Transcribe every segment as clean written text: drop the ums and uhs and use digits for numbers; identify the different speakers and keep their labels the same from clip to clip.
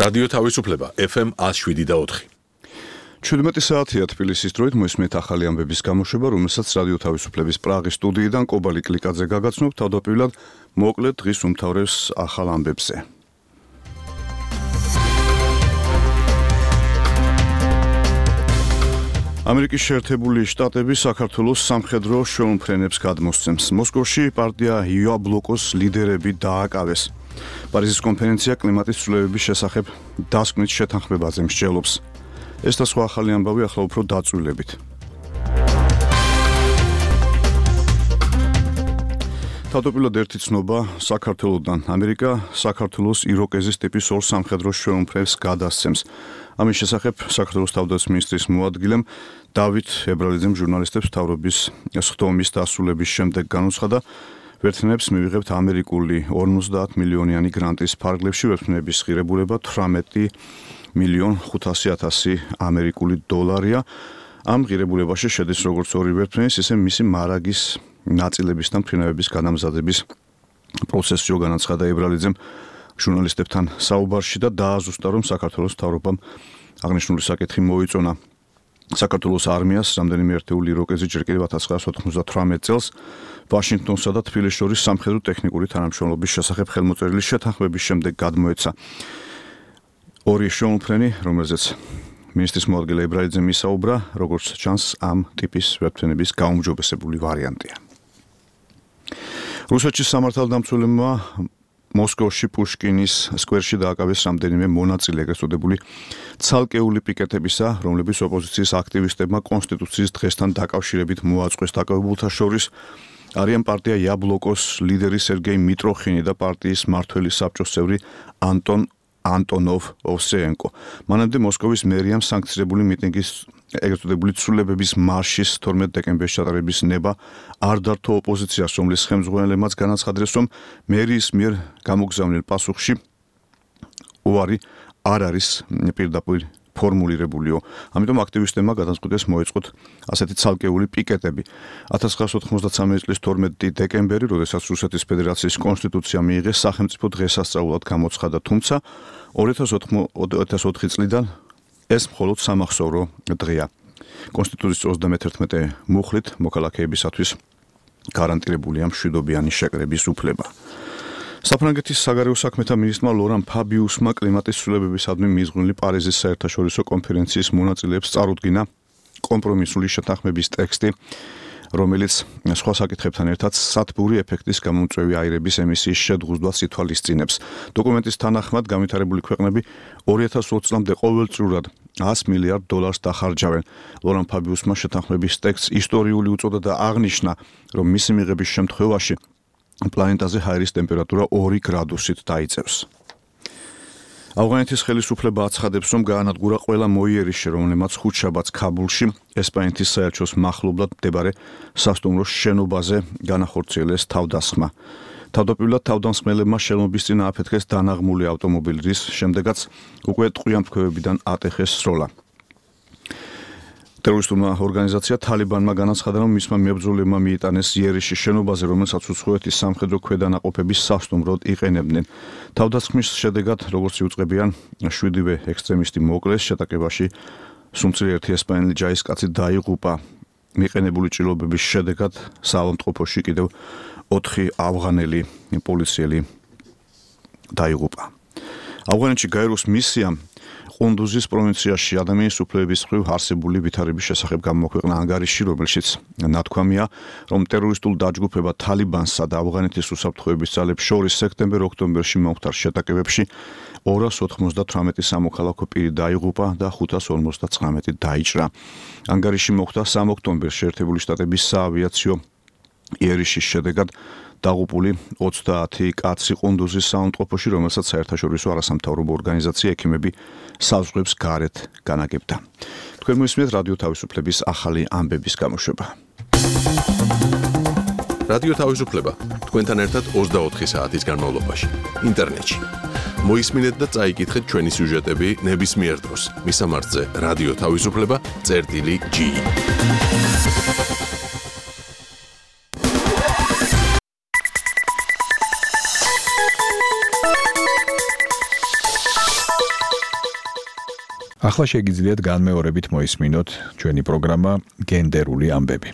Speaker 1: რადიო თავისუფლება FM 107.4.
Speaker 2: 17 საათია თბილისის დროით მოისმენთ ახალი ამბების გამოშვება, რომელსაც რადიო თავისუფლების პრაღის სტუდიიდან კობალი კლიკაძე გაგაცნობ. თავდაპირველად მოკლედ დღის უმთავრეს ახალ ამბებზე. ამერიკის შეერთებული შტატები საქართველოს სამხედრო შეუმფრენებს გადმოსცემს. მოსკოვში პარტია იაბლოკოს ლიდერები დააკავეს. პარიზის კონფერენცია კლიმატის ცვლილებების შესახებ დასკვნით შეთანხმებაზე მსჯელობს. ეს და სხვა ახალი ამბავი ახლა უფრო დაწვრილებით. თავდაპირველად ერთი ცნობა საქართველოდან. ამერიკა საქართველოს იროკეზის ტიპის ორ სამხედრო შეუმფრენებს გადასცემს. ამის შესახებ საქართველოს თავდაცვის მინისტრის მოადგილემ დავით ებრალიძემ ჟურნალისტებს მთავრობის სხდომის დასრულების შემდეგ განუცხადა, ვერტმფრენებს მივიღებთ ამერიკული 50 მილიონიანი გრანტის ფარგლებში, ვერტმფრენების ღირებულება 18,500,000 ამერიკული დოლარია. ამ ღირებულებაში შედის როგორც ორი ვერტმფრენის, ისე მისი მარაგის ნაწილების და მფრინავების გადამზადების პროცესიო, განაცხადა ებრალიძემ ჟურნალისტებთან საუბარში და დააზუსტა, რომ საქართველოს მთავრობამ აღნიშნული საკითხი მოიწონა. საქართველოს არმიას რამდენიმე ერთეული იროკეზი ჯერ კიდევ 1998 წელს ვაშინგტონსა და თბილისს შორის სამხედრო ტექნიკური თანამშრომლობის შესახებ ხელმოწერილი შეთანხმების შემდეგ გადმოეცა. ორი შეუმფრენი, რომელზეც მინისტრის მოადგილე ებრალიძემ ისაუბრა, როგორც ჩანს, ამ ტიპის ვერტმფრენების გაუმჯობესებული ვარიანტია. რუსეთის სამართალდამცველებმა მოსკოვში პუშკინის სკვერში დააკავეს რამდენიმე მონაწილე, ეგრეთ წოდებული ცალკეული პიკეტებისა, რომლებიც ოპოზიციის აქტივისტებმა კონსტიტუციის დღესთან დაკავშირებით მოაწყვეს. დაკავებულთა შორის არიან პარტია იაბლოკოს ლიდერი სერგეი მიტროხინი და პარტიის მმართველი საბჭოს წევრი ანტონოვ ოვსეენკო. მანამდე მოსკოვის მერიამ სანქცირებული მიტინგის ეგრეთ წოდებული ცვლილებების მარშის 12 დეკემბერს ჩატარების ნება არ დართო ოპოზიციას, რომლის ხელმძღვანელებმაც განაცხადეს, რომ მერიის მიერ გამოგზავნილ პასუხში უარი არ არის პირდაპირ ფორმულირებულიო. ამიტომ აქტივისტებმა გადაწყვიტეს მოეწყოთ ასეთი ცალკეული პიკეტები. 1993 წლის 12 დეკემბერი, როდესაც რუსეთის ფედერაციის კონსტიტუცია მიიღეს, სახელმწიფო დღესასწაულად გამოცხადა, თუმცა 2004 წლიდან ეს მხოლოდ სამახსოვრო დღეა. კონსტიტუციის 31 მუხლით მოქალაქეებისათვის გარანტირებულია მშვიდობიანი შეკრების უფლება. საფრანგეთის საგარეო საქმეთა მინისტრმა ლორან ფაბიუსმა კლიმატის ცვლილებებისადმი მიზღვნილი პარიზის საერთაშორისო კონფერენციის მონაწილეებს წარუდგინა კომპრომისული შეთანხმების ტექსტი, რომელიც სხვა საკითხებთან ერთად სათბური ეფექტის გამომწვევი აირების ემისიის შედგუზდვას ითვალისწინებს. დოკუმენტის თანახმად განვითარებული ქვეყნები 2020 წლამდე ყოველწლიურად $100 მილიარდ დახარჯავენ. ლორან ფაბიუსმა შეთანხმების ტექსტს ისტორიული უწოდა და აღნიშნა, რომ მისი მიღების შემთხვევაში პლანეტაზე ჰაერის ტემპერატურა 2 გრადუსით დაიწევს. ავღანეთის ხელისუფლება აცხადებს, რომ გაანადგურა ყველა მოიერიშე, რომელმაც ხუთშაბათს ქაბულში ესპანეთის საელჩოს მახლობლად მდებარე სასტუმროს შენობაზე განახორციელეს თავდასხმა. თავდაპირველად თავდამსხმელებმა შელობის წინ ააფეთქეს დანაღმული ავტომობილი, რის შემდეგაც უკვე ტყვიამფრქვევებიდან ატეხეს სროლა. ტერორისტულმა ორგანიზაცია თალიბანმა განაცხადა, რომ მისმა მებრძოლებმა მიიტანეს იერიში შენობაზე, რომელსაც უცხოეთის სამხედრო ქვედანაყოფების სასტუმროდ იყენებდნენ. თავდასხმის შედეგად, როგორც იუწყებიან, 7 ექსტრემისტი მოკლეს. შეტაკებაში სუმცირე ერთი ესპანელი ჯარისკაცი დაიღუპა. მიყენებული ჭრილობების შედეგად საავადმყოფოში კიდევ 4 ავღანელი პოლიციელი დაიღუპა. ავღანეთში გაეროს მისიამ ყუნდუზის პროვინციაში ადამიანის უფლებების მხრივ არსებული ვითარების შესახებ გამოქვეყნა ანგარიში, რომელშიც ნათქვამია, რომ ტერორისტულ დაჯგუფება თალიბანსა და ავღანეთის უსაფრთხოების ძალებს შორის სექტემბერ-ოქტომბერში მომხდარ შეტაკებებში 298 სამოქალაქო პირი დაიღუპა და 559 დაიჭრა. ანგარიში მოხდა 3 ოქტომბერს შეერთებული შტატების საავიაციო იერიშის შედეგად დაღუპული 30 კაცი ყუნდუზის საავადმყოფოში, რომელსაც საერთაშორისო არასამთავრობო ორგანიზაცია ექიმები საზღვრებს გარეთ განაგებდა. თქვენ მოისმენთ რადიო თავისუფლების ახალი ამბების გამოშვება.
Speaker 1: რადიო თავისუფლება თქვენთან ერთად 24 საათის განმავლობაში ინტერნეტში. მოისმინეთ და წაიკითხეთ ჩვენი სიუჟეტები ნებისმიერ დროს. მისამართზე რადიო თავისუფლება.ge
Speaker 3: ახლა შეგიძლიათ განმეორებით მოისმინოთ ჩვენი პროგრამა გენდერული ამბები.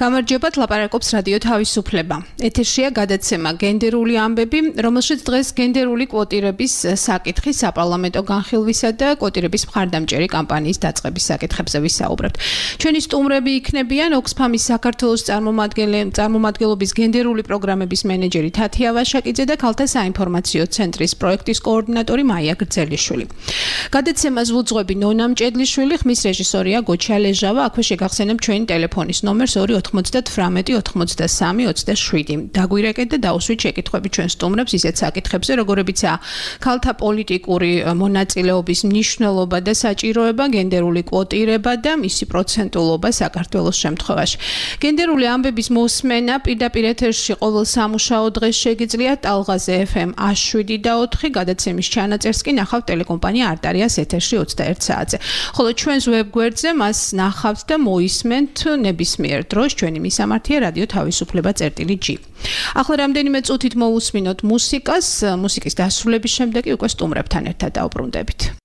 Speaker 4: გამარჯობათ, ლაპარაკობს რადიო თავისუფლება. ეთერშია გადაცემა გენდერული ამბები, რომელშიც დღეს გენდერული კვოტირების საკითხი საპარლამენტო განხილვისა და კვოტირების მხარდამჭერი კამპანიის დაწყების საკითხებზე ვისაუბრებთ. ჩვენი სტუმრები იქნებიან ოქსფამის საქართველოს წარმომადგენლობის გენდერული პროგრამების მენეჯერი თათია ვაშაკიძე და ქალთა საინფორმაციო ცენტრის პროექტის კოორდინატორი მაია გრძელიშვილი. გადაცემას ვუძღვები ნონა მჭედლიშვილი, ხმის რეჟისორია გოჩა ლეჟავა. აქვე შეგახსენებ ჩვენი ტელეფონის ნომერს 298-18-27. დაგვირეკეთ და დაუსვით შეკითხვები ჩვენ სტუმრებს ისეთ საკითხებზე, როგორებიცაა ქალთა პოლიტიკური მონაწილეობის მნიშვნელობა და საჭიროება, გენდერული კვოტირება და მისი პროცენტულობა საქართველოს შემთხვევაში. გენდერული ამბების მოსმენა პირდაპირ ეთერში ყოველ სამუშაო დღეს შეგიძლიათ ტალღაზე FM 107.4, გადაცემის ჩანაწერს კი ნახავთ ტელეკომპანია არტარიას ეთერში 21 საათზე. ხოლო ჩვენს ვებგვერდზე მას ნახავთ და მოისმენთ ნებისმიერ დროს. ჩვენი მისამართია რადიო თავისუფლება.g. ახლა რამდენიმე წუთით მოვუსმინოთ მუსიკას, მუსიკის დასრულების შემდეგ უკვე სტუმრებთან ერთად დავბრუნდებით.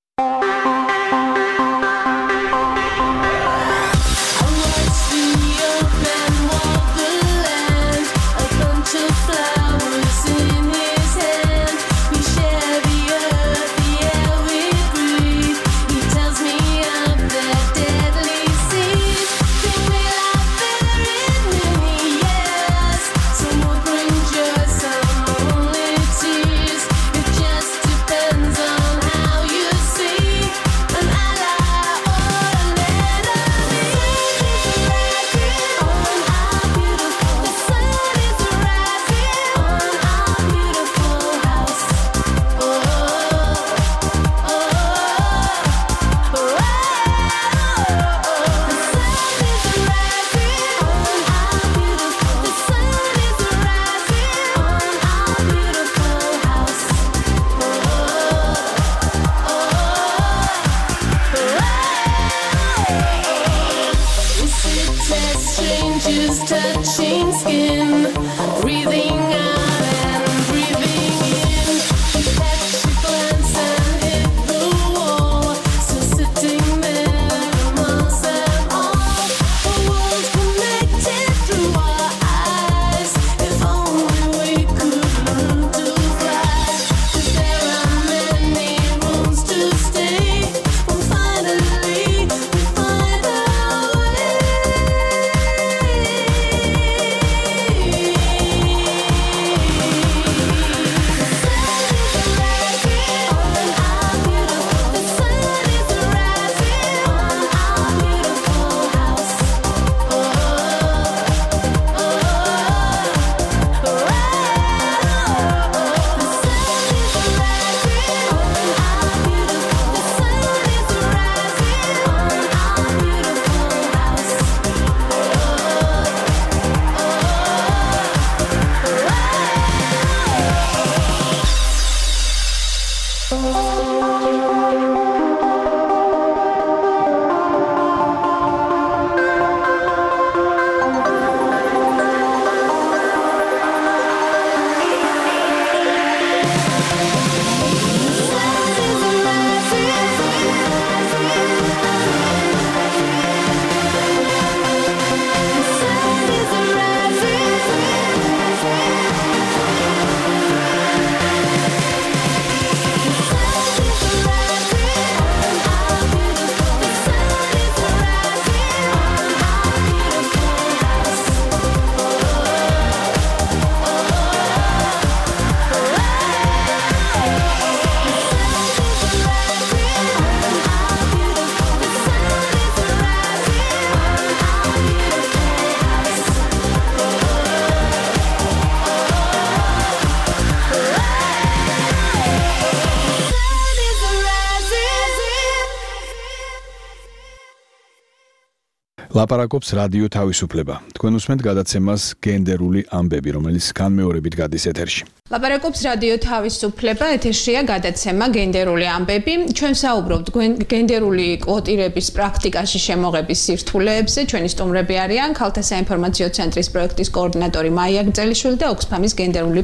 Speaker 3: ლაპარაკობს რადიო თავისუფლება. თქვენ უსმენთ გადაცემას გენდერული ამბები, რომელიც განმეორებით გადის ეთერში.
Speaker 4: ლაპარაკობს რადიო თავისუფლება, ეთერშია გადაცემა გენდერული ამბები. ჩვენ საუბრობთ გენდერული კვოტირების პრაქტიკაში შემოღების სირთულეებზე. ჩვენი სტუმრები არიან ქალთა საინფორმაციო ცენტრის პროექტის კოორდინატორი მაია გძელიშვილი და ოქსფამის გენდერული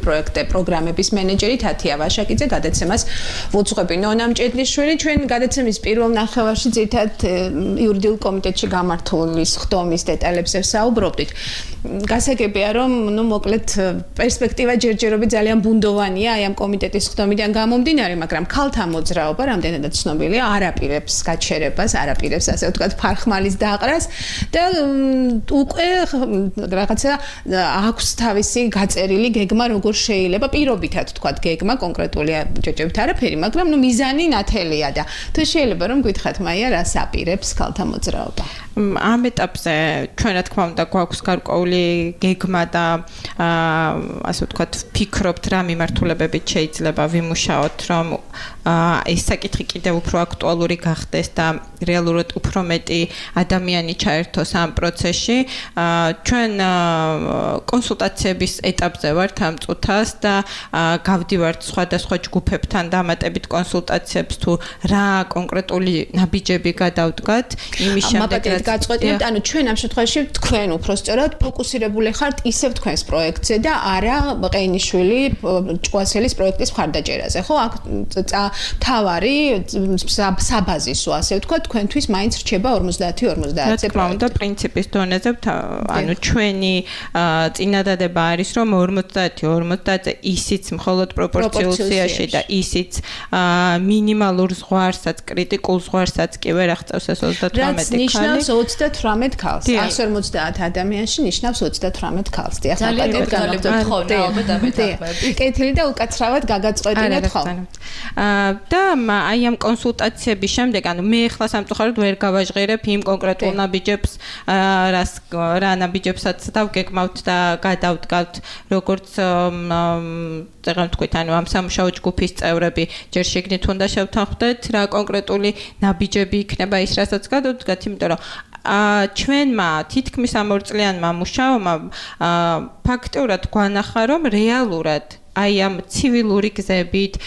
Speaker 4: პროგრამების მენეჯერი თათია ვაშაკიძე. გადაცემას ვუძღვები ნონა მჭედლიშვილი. ჩვენ გადაცემის პირველ ნახევარში ძირითადად იურიდიულ კომიტეტში გამართული სხდომის დეტალებზე საუბრობდით. გასაგებია, რომ მოკლედ პერსპექტივა ჯერჯერობით ძალიან ბუნდოვანია აი ამ კომიტეტის სხდომიდან გამომდინარე, მაგრამ ქალთა მოძრაობა რამდენადაც ცნობილია, არ აპირებს გაჩერებას, არ აპირებს ასე ვთქვათ ფარხმალის დაყრას და უკვე რაღაცა აქვს თავისი გაწერილი გეგმა, როგორ შეიძლება პირობითად ვთქვათ გეგმა, კონკრეტული ჯერჯერობით არაფერი, მაგრამ მიზანი ნათელია და თუ შეიძლება რომ გითხრათ მაია, რას აპირებს ქალთა მოძრაობა?
Speaker 5: ამ ეტაპზე ჩვენ რა თქმა უნდა გვაქვს გარკვეული გეგმა და ასე ვთქვათ ფიქრობთ რა მიმართულებებით შეიძლება ვიმუშაოთ, რომ ეს საკითხი კიდევ უფრო აქტუალური გახდეს და რეალურად უფრო მეტი ადამიანი ჩაერთოს ამ პროცესში. ჩვენ კონსულტაციების ეტაპზე ვართ ამ წუთას და გავდივართ სხვადასხვა ჯგუფებთან დამატებით კონსულტაციებს თუ რა კონკრეტული ნაბიჯები გადავდგათ იმის შემდეგ
Speaker 4: გაწყვეტინებთ, ანუ ჩვენ ამ შემთხვევაში თქვენ უფრო სწორად ფოკუსირებული ხართ ისევ თქვენს პროექტზე და არა ყეინიშვილი ჭკუასელის პროექტის მხარდაჭერაზე, ხო? აქ თავარი საბაზისო, ასე ვთქვათ, თქვენთვის მაინც რჩება 50-50.
Speaker 5: რა თქმა უნდა, პრინციპის დონეზე, ანუ ჩვენი წინადადება არის, რომ 50-50-ზე ისიც მხოლოდ პროპორციულ სიაში და ისიც მინიმალურ ზღვარსაც, კრიტიკულ ზღვარსაც კი ვერ აღწევს ეს 38 ქალი.
Speaker 4: 38 ქალს. 150 ადამიანში ნიშნავს 38 ქალს.
Speaker 6: ძალიან გაგრძელებთ ხოლმე ალბათ ამ ეტაპებში.
Speaker 4: კეთილი და უკაცრავად გაგაწყვეტინეთ ხოლმე.
Speaker 5: და აი ამ კონსულტაციების შემდეგ, ანუ მე ახლა სამწუხაროდ ვერ გავაჟღერებ იმ კონკრეტულ ნაბიჯებს, რა ნაბიჯებსაც დავგეგმავთ და გადავდგავთ, როგორც წეგან თქვით, ანუ ამ სამუშაო ჯგუფის წევრები ჯერ შეგნით უნდა შევთანხმდეთ, რა კონკრეტული ნაბიჯები იქნება ის, რასაც გადავდგათ, იმიტომ რომ ჩვენმა თითქმის ამ 2 წლიანმა მუშაობამ ფაქტიურად გვანახა, რომ რეალურად აი ამ ცივილური გზებით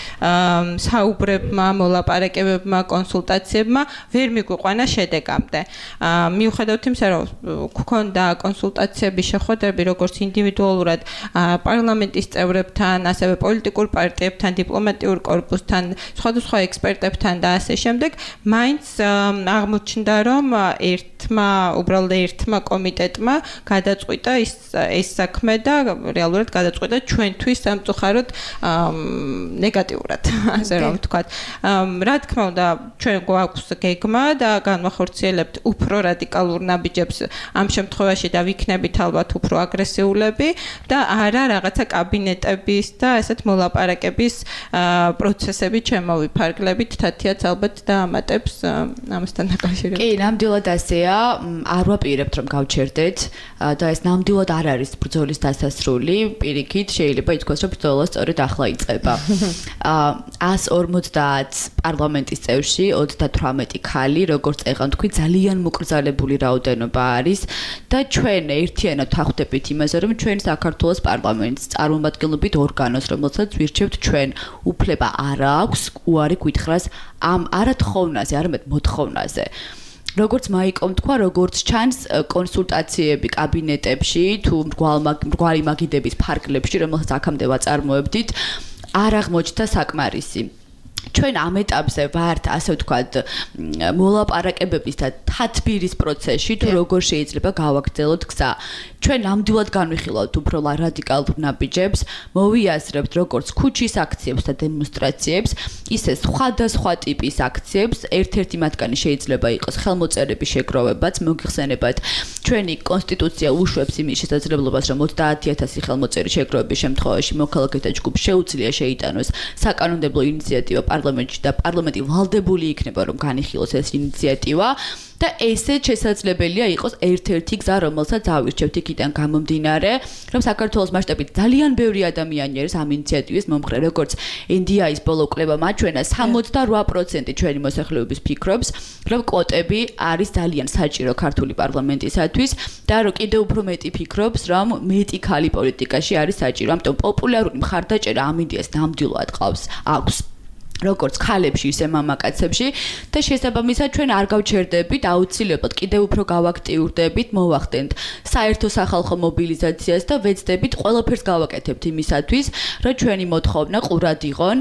Speaker 5: საუბრებმა, მოლაპარაკებებმა, კონსულტაციებმა ვერ მიგვიყვანა შედეგამდე. მიუხედავად იმისა, რომ გვქონდა კონსულტაციების შეხვედრები როგორც ინდივიდუალურად პარლამენტის წევრებთან, ასევე პოლიტიკურ პარტიებთან, დიპლომატიურ კორპუსთან, სხვადასხვა ექსპერტებთან და ასე შემდეგ, მაინც აღმოჩნდა, რომ უბრალოდ ერთმა კომიტეტმა გადაწყვიტა ეს საქმე და რეალურად გადაწყვიტა ჩვენთვის სამწუხაროდ ნეგატიურად, ასე რომ ვთქვათ. რა თქმა უნდა, ჩვენ გვაქვს გეგმა და განვახორციელებთ უფრო რადიკალურ ნაბიჯებს ამ შემთხვევაში და ვიქნებით ალბათ უფრო აგრესიულები და არა რაღაცა კაბინეტების და ესეთ მოლაპარაკების პროცესები შემოვიფარგლებით, თათიაც ალბათ დაამატებს ამასთან დაკავშირებით.
Speaker 6: კი, ნამდვილად ასეა. არ ვაპირებთ რომ გავჩერდეთ და ეს ნამდვილად არ არის ბრძოლის დასასრული, პირიქით შეიძლება ითქვას რომ ბრძოლა სწორედ ახლა იწყება. 150 პარლამენტის წევრში 38 ქალი, როგორც წეგან თქვი, ძალიან მოკრძალებული რაოდენობა არის და ჩვენ ერთიანად ვხვდებით იმაზე, რომ ჩვენ საქართველოს პარლამენტს წარმომადგენლობით ორგანოს, რომელსაც ვირჩევთ ჩვენ, უფლება არ აქვს უარი გითხრას ამ არა თხოვნაზე, არამედ მოთხოვნაზე. როგორც მაიკომ თქვა, როგორც ჩანს კონსულტაციები კაბინეტებში თუ მრგვალი მაგიდების ფარგლებში, რომელსაც აქამდე ვაწარმოებდით, არ აღმოჩნდა საკმარისი. ჩვენ ამ ეტაპზე ვართ, ასე ვთქვათ, მოლაპარაკებების და თათბირის პროცესში, თუ როგორ შეიძლება გავაგრძელოთ გზა. ჩვენ ნამდვილად განვიხილავთ უფრო რადიკალურ ნაბიჯებს, მოვიაზრებთ როგორც ქუჩის აქციებს და დემონსტრაციებს, ისე სხვადასხვა ტიპის აქციებს. ერთ-ერთი მათგანი შეიძლება იყოს ხელმოწერების შეგროვებაც, მოგიხსენებათ, ჩვენი კონსტიტუცია უშვებს იმის შესაძლებლობას, რომ 30,000 ხელმოწერის შეგროვების შემთხვევაში მოქალაქეთა ჯგუფს შეუძლია შეიტანოს საკანონმდებლო ინიციატივა პარლამენტში და პარლამენტი ვალდებული იქნება, რომ განიხილოს ეს ინიციატივა. და ესე შესაძლებელია იყოს ერთ-ერთი გზა, რომელსაც ავირჩევთ იქიდან გამომდინარე, რომ საქართველოს მასშტაბით ძალიან ბევრი ადამიანი არის ამ ინიციატივის მომხრე, როგორც NDI-ის ბოლო კვლევა მაჩვენა 68% ჩვენი მოსახლეობის ფიქრობს, რომ კვოტები არის ძალიან საჭირო ქართული პარლამენტისათვის და რომ კიდევ უფრო მეტი ფიქრობს, რომ მეტი ქალი პოლიტიკაში არის საჭირო. ამიტომ პოპულარული მხარდაჭერა ამ იდეას ნამდვილად აქვს. როგორც ქალებში, ისე მამაკაცებში და შესაბამისად ჩვენ არ გავჩერდებით აუცილებლად კიდევ უფრო გავაქტიურდებით, მოვახდენთ საერთო სახალხო მობილიზაციას და ვეცდებით ყველაფერს გავაკეთებთ იმისათვის, რომ ჩვენი მოთხოვნა ყურად იყონ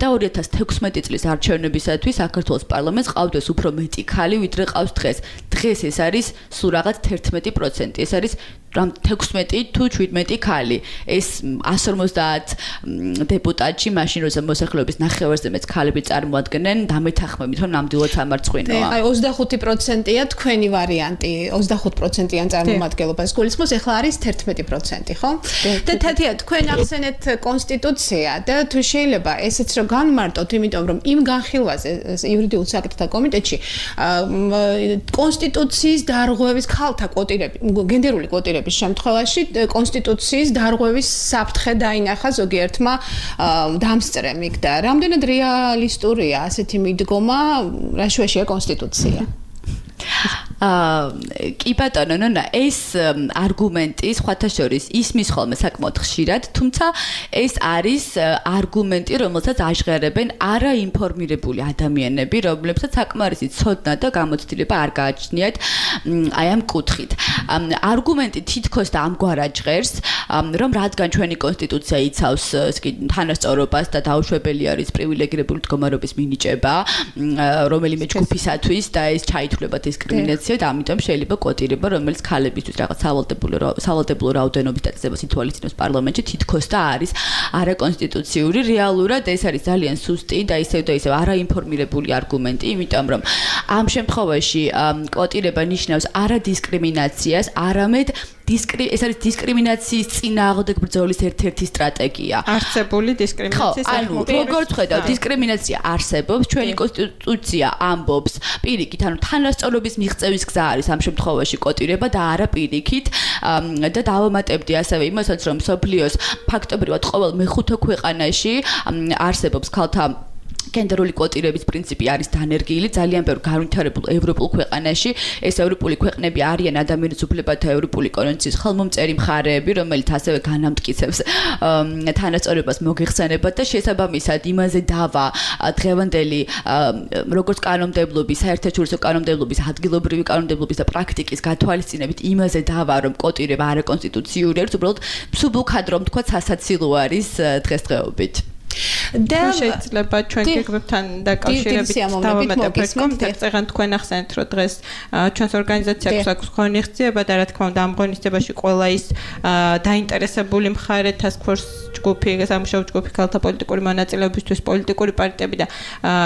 Speaker 6: და 2016 წლის არჩევნებისათვის საქართველოს პარლამენტს ყავდეს უფრო მეტი ქალი, ვიდრე ყავს დღეს. დღეს ეს არის სულ რაღაც 11%. ეს არის რამ 16 თუ 17 ქალი. ეს 150 დეპუტატში მაშინ როცა მოსახლეობის ნახევარზე მეც ქალები წარმოადგენენ, დამეთანხმებით რომ ნამდვილად სამარცხვინოა.
Speaker 4: აი 25%-ია თქვენი ვარიანტი, 25%-იან წარმომადგენლობას გულისხმობს, ეხლა არის 11%, ხო? და თათია თქვენ ახსენეთ კონსტიტუცია და თუ შეიძლება ესეც რომ განმარტოთ, იმიტომ რომ იმ განხილვაზე იურიდიულ საკითხთა კომიტეტში კონსტიტუციის დარღვევის ქალთა კვოტირები, გენდერული კვოტირები შემთხვევაში კონსტიტუციის დარღვევის საფრთხე დაინახა ზოგიერთმა დამსწრემიკ და რამდენად რეალისტურია ასეთი მიდგომა, რა შუაშია კონსტიტუცია?
Speaker 6: კი ბატონო, ნონა, ეს არგუმენტი სხვათა შორის ისმის ხოლმე საკმაოდ ხშირად, თუმცა ეს არის არგუმენტი, რომელსაც აჟღერებენ არაინფორმირებული ადამიანები, რომლებსაც საკმარისი ცოდნა და გამოცდილება არ გააჩნიათ აი ამ კუთხით. არგუმენტი თითქოს და ამგვარად ჟღერს, რომ რადგან ჩვენი კონსტიტუცია იცავს თანასწორობას და დაუშვებელი არის პრივილეგირებული მდგომარეობის მინიჭება რომელიმე ჯგუფისათვის და ეს ჩაითვლება დისკრიმინაცია და ამიტომ შეიძლება კვოტირება, რომელიც ქალებისთვის რაღაც სავალდებულო რაოდენობის დაწესებას ითვალისწინებს პარლამენტში, თითქოს და არის არაკონსტიტუციური. რეალურად ეს არის ძალიან სუსტი და ისევ არაინფორმირებული არგუმენტი, იმიტომ რომ ამ შემთხვევაში კვოტირება ნიშნავს არა დისკრიმინაციას, არამედ ეს არის დისკრიმინაციის წინააღმდეგ ბრძოლის ერთ-ერთი სტრატეგია.
Speaker 5: არსებული დისკრიმინაციის
Speaker 6: როგორც ხედავთ, დისკრიმინაცია არსებობს, ჩვენი კონსტიტუცია ამბობს პირიქით, ანუ თანასწორობის მიღწევის გზა არის ამ შემთხვევაში კვოტირება და არა პირიქით და დავამატებდი ასევე იმასაც, რომ მსოფლიოს ფაქტობრივად ყოველ მეხუთე ქვეყანაში არსებობს ქალთა გენდერული კვოტირების პრინციპი არის დანერგილი ძალიან ბევრ განვითარებულ ევროპულ ქვეყანაში. ეს ევროპული ქვეყნები არიან ადამიანის უფლებათა ევროპული კონვენციის ხელმომწერი მხარეები, რომელიც ასევე განამტკიცებს თანასწორობას მოგეხსენებათ და შესაბამისად იმაზე დავა დღევანდელი როგორც კანონმდებლობის, საერთაშორისო კანონმდებლობის, ადგილობრივი კანონმდებლობის და პრაქტიკის გათვალისწინებით იმაზე დავა, რომ კვოტირება არაკონსტიტუციური არის, უბრალოდ მსუბუქად რომ თქვა სასაცილო არის დღესდღეობით.
Speaker 5: და შეიძლება ჩვენ გეგმებთან დაკავშირებით დავამატებ ერთ კონტექსტს, ეგან თქვენ ახსენეთ, რომ დღეს ჩვენს ორგანიზაციას აქვს ღონისძიება და რა თქმა უნდა ამ ღონისძიებაში ყველა ის დაინტერესებული მხარე task force ჯგუფი, სამუშაო ჯგუფი, ქალთა პოლიტიკური მონაწილეობისთვის პოლიტიკური პარტიები და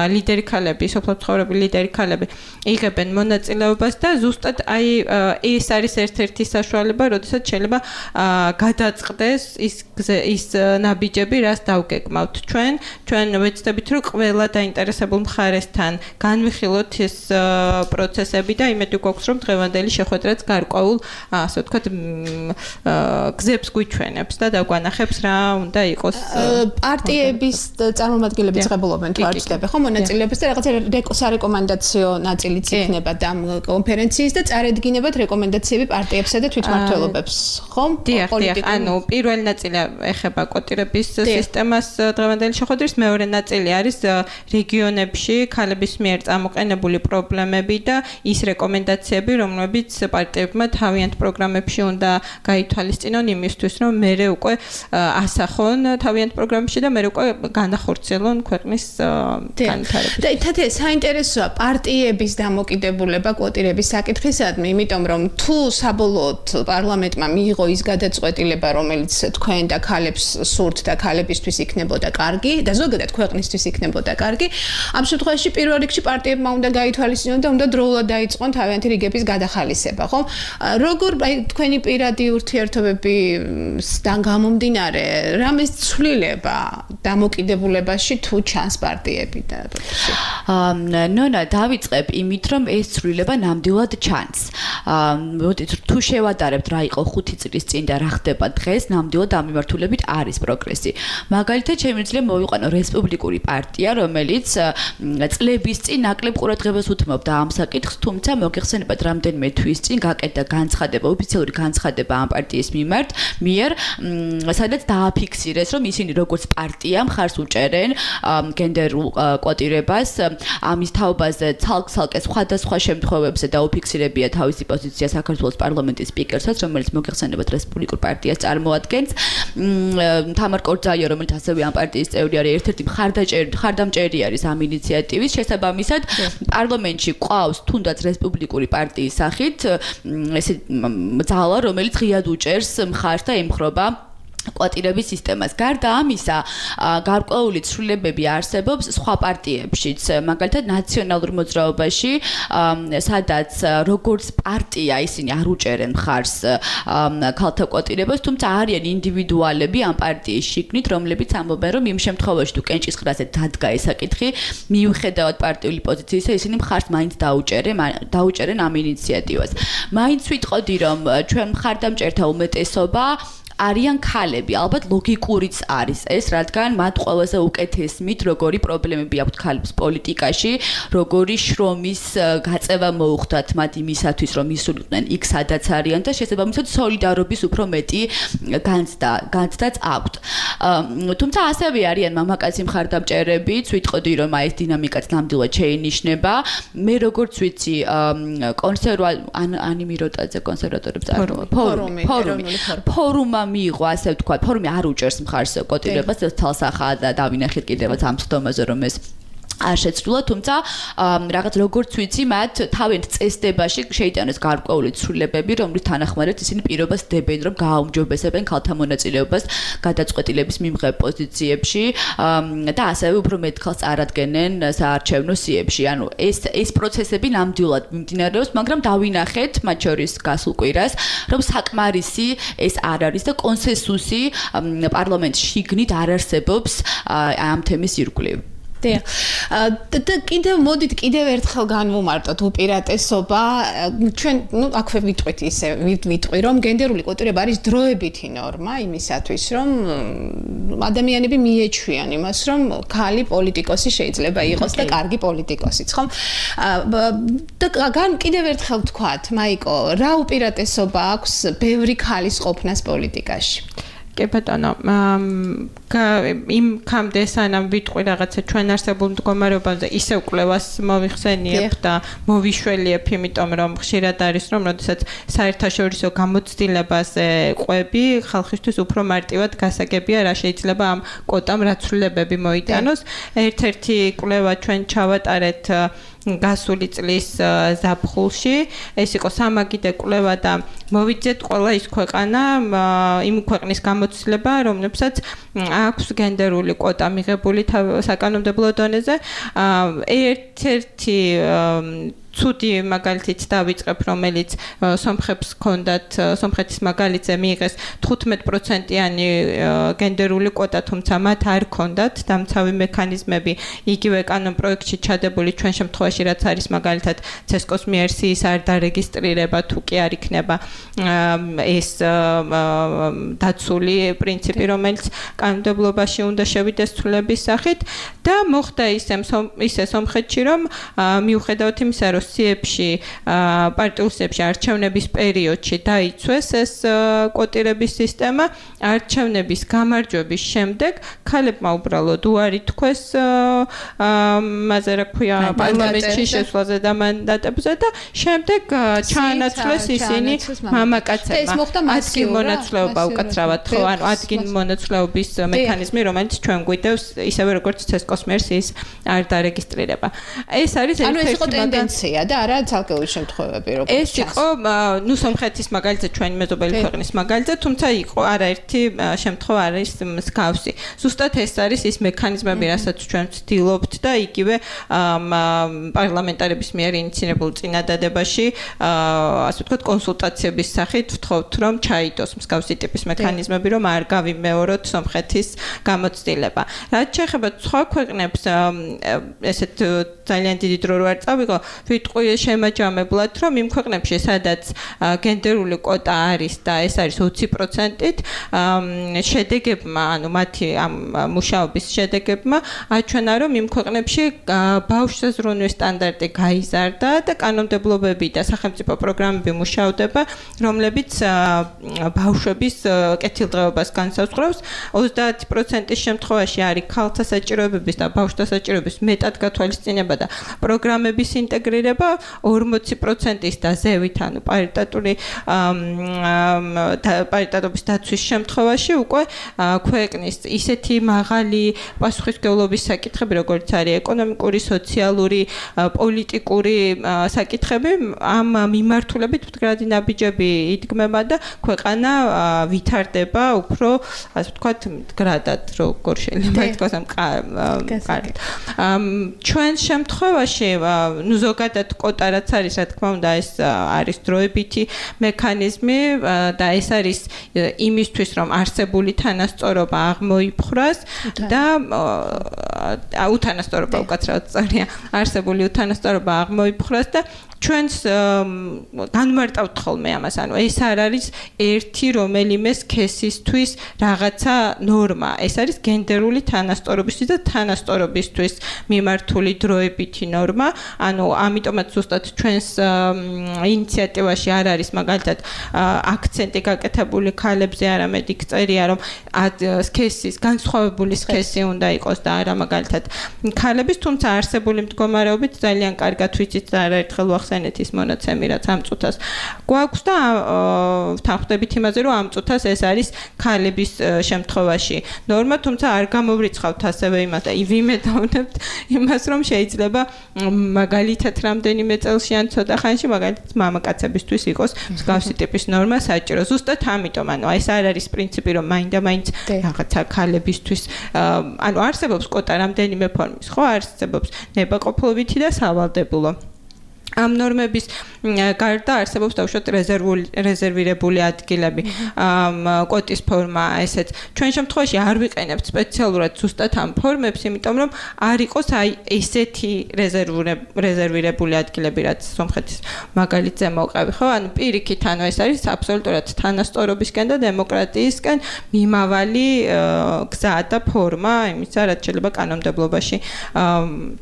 Speaker 5: ლიდერი ქალები, სოფლის მცხოვრები ლიდერი ქალები იღებენ მონაწილეობას და ზუსტად აი ეს არის ერთ-ერთი საშუალება, როდესაც შეიძლება გადაწყდეს ის ნაბიჯები, რაც დავგეგმავთ. ჩვენ ვეცდებით, რომ ყველა დაინტერესებულ მხარესთან განვიხილოთ ეს პროცესები და იმედი გვაქვს, რომ დღევანდელი შეხვედრაც გარკვეულ, ასე ვთქვათ, გზებს გვიჩვენებს და დაგვანახებს რა უნდა იყოს.
Speaker 4: პარტიების წარმომადგენლები წებულობენ თუ არ ჩდება, ხო, მონაწილეობას და რაღაცა სარეკომენდაციო ნაწილიც იქნება და ამ კონფერენციის და წარედგინებათ რეკომენდაციები პარტიებსა და თვითმმართველობებს, ხო?
Speaker 5: დიახ, ანუ პირველი ნაწილი ეხება კვოტირების სისტემას დღევანდელი შეხვედრის, მეორე ნაწილი არის რეგიონებში ქალების მიერ წამოყენებული პრობლემები და ის რეკომენდაციები, რომლებიც პარტიებმა თავიანთ პროგრამებში უნდა გაითვალისწინონ იმისთვის, რომ მერე უკვე ასახონ თავიანთ პროგრამებში და მერე უკვე განახორციელონ ქვეყნის განვითარება.
Speaker 4: და თათია საინტერესოა პარტიების დამოკიდებულება კვოტირების საკითხისადმი, იმიტომ რომ თუ საბოლოოდ პარლამენტმა მიიღო ის გადაწყვეტილება, რომელიც თქვენ და ქალებს სურთ და ქალებისთვის იქნებოდა კარგი, და ზოგადად ქვეყნისთვის იქნებოდა კარგი. ამ შემთხვევაში პირველ რიგში პარტიებმა უნდა გაითვალისწინონ და უნდა დროულად დაიწყონ თავიანთი რიგების გადახალისება, ხო? როგორ თქვენი პირადი ურთიერთობებიდან გამომდინარე, რამის ცვლილება დამოკიდებულებაში თუ ჩანს პარტიები და
Speaker 6: ნონა დავიწყებ იმით, რომ ეს ცვლილება ნამდვილად ჩანს. თუ შევადარებთ რა იყო 5 წლის წინ და რა ხდება დღეს, ნამდვილად ამ მიმართულებით არის პროგრესი. მაგალითად, შემიძლია მოვიყვანო რესპუბლიკური პარტია, რომელიც წლების წინ ნაკლებ ყურადღებას უთმობდა ამ საკითხს, თუმცა მოგეხსენებათ რამდენიმე თვის წინ გაკეთდა განცხადება, ოფიციალური განცხადება ამ პარტიის მიერ, სადაც დააფიქსირეს, რომ ისინი როგორც პარტია მხარს უჭერენ გენდერულ კვოტირებას, ამის თაობაზე ცალკე სხვადასხვა შემთხვევებზე დაუფიქსირებია თავისი პოზიცია საქართველოს პარლამენტის სპიკერსაც, რომელიც მოგეხსენებათ რესპუბლიკურ პარტიას წარმოადგენს. თამარ კორძაია, რომელიც ასევე ამ პარტიის წევრი არის, ერთ-ერთი მხარდამჭერი არის ამ ინიციატივის. შესაბამისად, პარლამენტში ყავს თუნდაც რესპუბლიკური პარტიის სახით ესე ძალა, რომელიც ღიად უჭერს მხარს და ემხრობა კვოტირების სისტემას. გარდა ამისა, გარკვეული ცვლილებები არსებობს სხვა პარტიებშიც, მაგალითად ნაციონალურ მოძრაობაში, სადაც როგორც პარტია ისინი არ უჭერენ მხარს ქალთა კვოტირებას, თუმცა არიან ინდივიდუალები ამ პარტიის შიგნით, რომლებიც ამბობენ, რომ იმ შემთხვევაში თუ კენჭისყრაზე დადგა ეს საკითხი, მიუხედავად პარტიული პოზიციისა, ისინი მხარს მაინც დაუჭერენ ამ ინიციატივას. მაინც ვიტყოდი, რომ ჩვენ მხარდამჭერთა უმეტესობა არიან ქალები, ალბათ ლოგიკურიც არის ეს, რადგან მათ ყველაზე უკეთესმით როგორი პრობლემები აქვთ ქალებს პოლიტიკაში, როგორი შრომის გაწევა მოუხდათ მათ იმისათვის, რომ ისულიყვნენ იქ სადაც არიან და შესაბამისად სოლიდარობის უფრო მეტი განცდაც აქვთ. თუმცა ასევე არიან მამაკაცი მხარდამჭერებიც, ვიტყოდი, რომ ეს დინამიკაც ნამდვილად შეინიშნება. მე როგორც ვიცი, ანიმიროტაძე კონსერვატორებს ფორუმი მიიღო, ასე ვთქვათ, ფორუმი არ უჭერს მხარს კვოტირებას, თალსახაა და დავინახეთ კიდევაც ამ სხდომაზე, რომ ეს არ შეცვლილა, თუმცა რაღაც როგორც ვიცი, მათ თავიანთ წესდებაში შეიტანეს გარკვეული ცვლილებები, რომლის თანახმადაც ისინი პირობას დებენ, რომ გააუმჯობესებენ ქალთა მონაწილეობას გადაწყვეტილების მიმღებ პოზიციებში და ასევე უფრო მეტ ქალს წარადგენენ საარჩევნო სიებში. ანუ ეს პროცესები ნამდვილად მიმდინარეობს, მაგრამ დავინახეთ მათ შორის გასულ კვირას, რომ საკმარისი ეს არ არის და კონსენსუსი პარლამენტში შიგნით არ არსებობს ამ თემის ირგვლივ.
Speaker 4: და მოდით კიდევ ერთხელ განვუმარტოთ უპირატესობა. ჩვენ აქვე ვიტყვი, რომ გენდერული კვოტირება არის დროებითი ნორმა იმისათვის, რომ ადამიანები მიეჩვიან იმას, რომ ქალი პოლიტიკოსი შეიძლება იყოს და კარგი პოლიტიკოსიც, ხომ? და კიდევ ერთხელ ვთქვათ, მაიკო, რა უპირატესობა აქვს ბევრი ქალის ყოფნას პოლიტიკაში?
Speaker 5: კი ბატონო, იმ კამდე სანამ ვიტყვი რაღაცა ჩვენ არსებულ მდგომარეობაზე ისევ კვლევას მოვიხსენიებ და მოვიშველიებ, იმიტომ რომ ხშირად არის რომ როდესაც საერთაშორისო გამოცდილებაზე ყვები, ხალხისთვის უფრო მარტივად გასაგებია რა შეიძლება ამ კვოტამ რა ცვლილებები მოიტანოს. ერთ-ერთი კვლევა ჩვენ ჩავატარეთ გასული წლის ზაფხულში, ეს იყო სამაგიდე კვლევა და მოვიძეთ ყველა ის ქვეყანა, იმ ქვეყნის გამოცდილება, რომლებსაც აქვს გენდერული კვოტა მიღებული საკანონმდებლო დონეზე. ერთ-ერთი ცუდი მაგალითიც დავიწყებ, რომელიც სომხებს ჰქონდათ, სომხეთის მაგალითზე მიიღეს 15%-იანი გენდერული კვოტა, თუმცა მათ არ ჰქონდათ დამცავი მექანიზმები იგივე კანონპროექტში ჩადებული ჩვენ შემთხვევაში, რაც არის მაგალითად ცესკოს მიერ სიის არ დარეგისტრირება, თუ კი არ იქნება ეს დაცული პრინციპი, რომელიც კანონმდებლობაში უნდა შევიდეს ცვლილების სახით და მოხდა ისე სომხეთში, რომ მიუხედავად იმისა, რომ სიებში პარტიულ სიებში არჩევნების პერიოდში დაიცვეს ეს კვოტირების სისტემა, არჩევნების გამარჯვების შემდეგ ქალებმა უბრალოდ უარი თქვეს მასე რა ქვია პარლამენტში შესვლაზე და მანდატებზე და შემდეგ ჩაანაცვლეს ისინი მამაკაცებმა ადგილ მონაცვლეობა უკაცრავად ხო ანუ ადგილ მონაცვლეობის მექანიზმი რომელიც ჩვენ გვიდევს ისევე როგორც CESCO-ს მერს ის არ დარეგისტრირება ეს არის
Speaker 4: ეს იყო ტენდენცია და არა ცალკეული შემთხვევები როგორც
Speaker 5: ეს იყო ნუ სომხეთის მაგალითზე ჩვენი მეზობელი ქვეყნის მაგალითზე თუმცა იყო არაერთი შემთხვევა არის მსგავსი ზუსტად ეს არის ის მექანიზმები რასაც ჩვენ ვცდილობთ და იგივე პარლამენტარების მიერ ინიციირებულ წინადადებაში ასე ვთქვათ კონსულტაციების სახით ვთხოვთ რომ ჩაიდოს მსგავსი ტიპის მექანიზმები რომ არ გავიმეოროთ სომხეთის გამოცდილება რაც შეეხება სხვა ქვეყნებს ესეთ ძალიან დიდი დრო არ წავიღო ვიტყვი შემაჯამებლად რომ იმ ქვეყნებში სადაც გენდერული კვოტა არის და ეს არის 20%-ით შედეგებმა ანუ მათი ამ მუშაობის შედეგებმა აჩვენა რომ იმ ქვეყნებში ბავშვთა ზრუნვის სტანდარტი გაიზარდა და კანონმდებლობები და სახელმწიფო პროგრამები მუშავდება რომლებიც ბავშვების კეთილდღეობას განსაზღვრავს 30%-ის შემთხვევაში არის ქალთა საჭიროებების და ბავშვთა საჭიროების მეტად გათვალისწინება და პროგრამების ინტეგრირება 40%-ის და ზევით ანუ პარიტეტობის დაცვის შემთხვევაში უკვე ქვეყნის ისეთი მაღალი პასუხისმგებლობის საკითხები როგორც არის ეკონომიკური, სოციალური, პოლიტიკური საკითხები ამ მიმართულებით მდგრადი ნაბიჯები იდგმება და ქვეყანა ვითარდება უფრო ასე ვთქვათ მდგრადად როგორ შეიძლება ითქვას ამ კარგად ჩვენ შემთხვევაში ნუ ზოგადად კვოტა რაც არის რა თქმა უნდა ეს არის დროებითი მექანიზმი და ეს არის იმისთვის რომ არსებული თანასწორობა აღმოიფხვრას და უთანასწორობა უკაცრავად სწორია არსებული უთანასწორობა აღმოიფხვრას და ჩვენს განმარტავთ ხოლმე ამას ანუ ეს არ არის ერთი რომელიმე სქესისთვის რაღაცა ნორმა ეს არის გენდერული თანასწორობისთვის და თანასწორობისთვის მიმართული დროებითი ნორმა ანუ ამიტომაც ზუსტად ჩვენს ინიციატივაში არ არის მაგალითად აქცენტი გაკეთებული ქალებზე არამედ იქ წერია რომ სქესის განსხვავებული სქესი უნდა იყოს და არა მაგალითად ქალების თუმცა არსებული მდგომარეობით ძალიან კარგად ვიცით და არაერთხელ ვახსენეთ ის მონაცემი რაც ამ წუთას გვაქვს და თანხმდებით იმაზე რომ ამ წუთას ეს არის ქალების შემთხვევაში ნორმა თუმცა არ გამოვრიცხავთ ასევე იმას და ვიმედოვნებთ იმას რომ შეიძლება მაგალითად რამდენიმე წელში ან ცოტა ხანში მაგალითად მამაკაცებისთვის იყოს მსგავსი ტიპის ნორმა საჭირო ზუსტად ამიტომ ანუ ეს არ არის პრინციპი რომ მაინდა-მაინც რაღაცა ქალებისთვის ანუ არსებობს კვოტა რამდენიმე ფორმის ხო არსებობს ნებაყოფლობითი და სავალდებულო ამ ნორმების გარდა არსებობს დაუშვათ რეზერვირებული ადგილები კვოტის ფორმა ესეც ჩვენ შემთხვევაში არ ვიყენებთ სპეციალურად ზუსტად ამ ფორმებს იმიტომ რომ არ იყოს აი ესეთი რეზერვირებული ადგილები რაც სომხეთის მაგალითზე მოყავი ხო ანუ პირიქით ანუ ეს არის აბსოლუტურად თანასწორობისკენ და დემოკრატიისკენ მიმავალი გზა და ფორმა იმისა რაც შეიძლება კანონმდებლობაში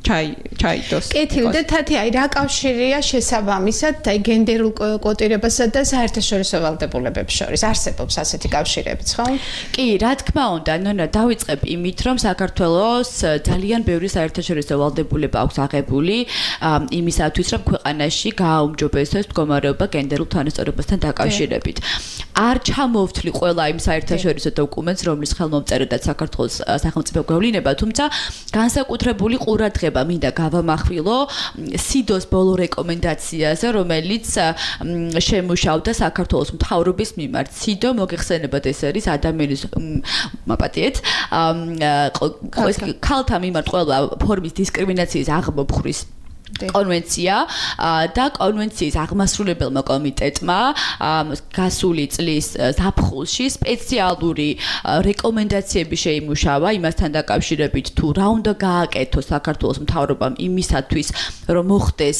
Speaker 5: ჩაიდოს
Speaker 4: კეთილი და თათი აი რა კავშირია შესაბამისად აი გენდერულ კვოტირებასა და საერთაშორისო ვალდებულებებს შორის არსებობს ასეთი კავშირებიც ხო?
Speaker 6: კი, რა თქმა უნდა, ნონა დავიწყებ იმით, რომ საქართველოს ძალიან ბევრი საერთაშორისო ვალდებულება აქვს აღებული იმისათვის, რომ ქვეყანაში გააუმჯობესოს მდგომარეობა გენდერულ თანასწორობასთან დაკავშირებით. არ ჩამოვთვლი ყველა იმ საერთაშორისო დოკუმენტს, რომლის ხელმომწერადაც საქართველოს სახელმწიფო გვევლინება, თუმცა განსაკუთრებული ყურადღება მინდა გავამახვილო სიდოს ბოლო რეკომენდაციაზე, რომელიც შემუშავდა საქართველოს მთავრობის მიმართ. სიდო მოგეხსენებათ ეს არის ადამიანის მაპატიეთ ქალთა მიმართ ყველა ფორმის დისკრიმინაციის აღმოფხვრის კონვენცია და კონვენციის აღმასრულებელმა კომიტეტმა გასული წლის ზაფხულში სპეციალური რეკომენდაციები შეიმუშავა იმასთან დაკავშირებით თუ რა უნდა გააკეთოს საქართველოს მთავრობამ იმისათვის რომ მოხდეს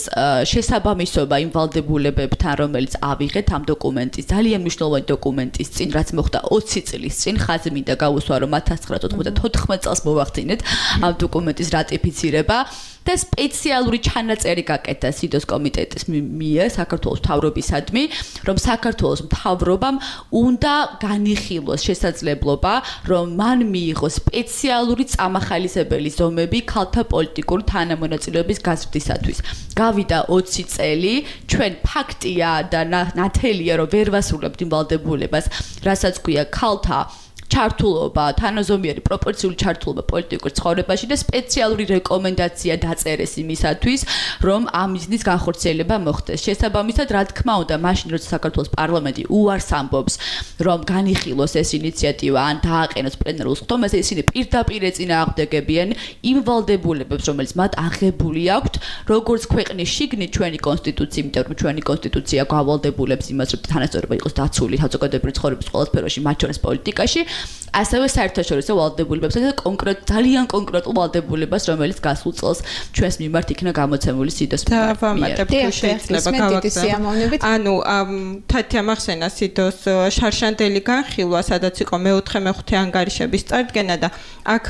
Speaker 6: შესაბამისობა იმ ვალდებულებებთან რომელიც ავიღეთ ამ დოკუმენტის ძალიან მნიშვნელოვანი დოკუმენტის წინ რაც მოხდა 20 წლის წინ ხაზი მინდა გავუსვა რომ 1994 წელს მოვახდინეთ ამ დოკუმენტის რატიფიცირება და სპეციალური ჩანაწერი გაკეთდა სიდოს კომიტეტის მიერ საქართველოს მთავრობისადმი, რომ საქართველოს მთავრობამ უნდა განიხილოს შესაძლებლობა, რომ მან მიიღოს სპეციალური წამახალისებელი ზომები ქალთა პოლიტიკური თანამონაწილეობის გაზრდისათვის. გავიდა 20 წელი, ჩვენ ფაქტია და ნათელია, რომ ვერ ვასრულებთ იმ ვალდებულებას, რასაც ქვია ქალთა ჩართულობა, თანაზომიერი პროპორციული ჩართულობა პოლიტიკურ ცხოვრებაში და სპეციალური რეკომენდაცია დაწერეს იმისათვის, რომ ამ მიზნის განხორციელება მოხდეს. შესაბამისად, რა თქმა უნდა, მაშინ როცა საქართველოს პარლამენტი უარს ამბობს, რომ განიხილოს ეს ინიციატივა ან დააყენოს პლენარულ სხდომაზე, ისინი პირდაპირ ეწინააღმდეგებიან იმ ვალდებულებებს, რომელიც მათ აღებული აქვთ, როგორც ქვეყნის შიგნით ჩვენი კონსტიტუცია, იმიტომ რომ ჩვენი კონსტიტუცია გავალდებულებს იმას, რომ თანასწორობა იყოს დაცული საზოგადოებრივი ცხოვრების ყველა სფეროში, მათ შორის პოლიტიკაში. ასევე საერთაშორისო ვალდებულებებს და ძალიან კონკრეტულ ვალდებულებას, რომელიც გასულ წელს ჩვენს მიმართ იქნა გამოცემული სიდოს მიერ.
Speaker 5: დავამატებ თუ შეიძლება გავაგზავნოთ. ანუ თათი ამახსენა სიდოს შარშანდელი განხილვა, სადაც იყო მე-4-მე-5 ანგარიშების წარდგენა და აქ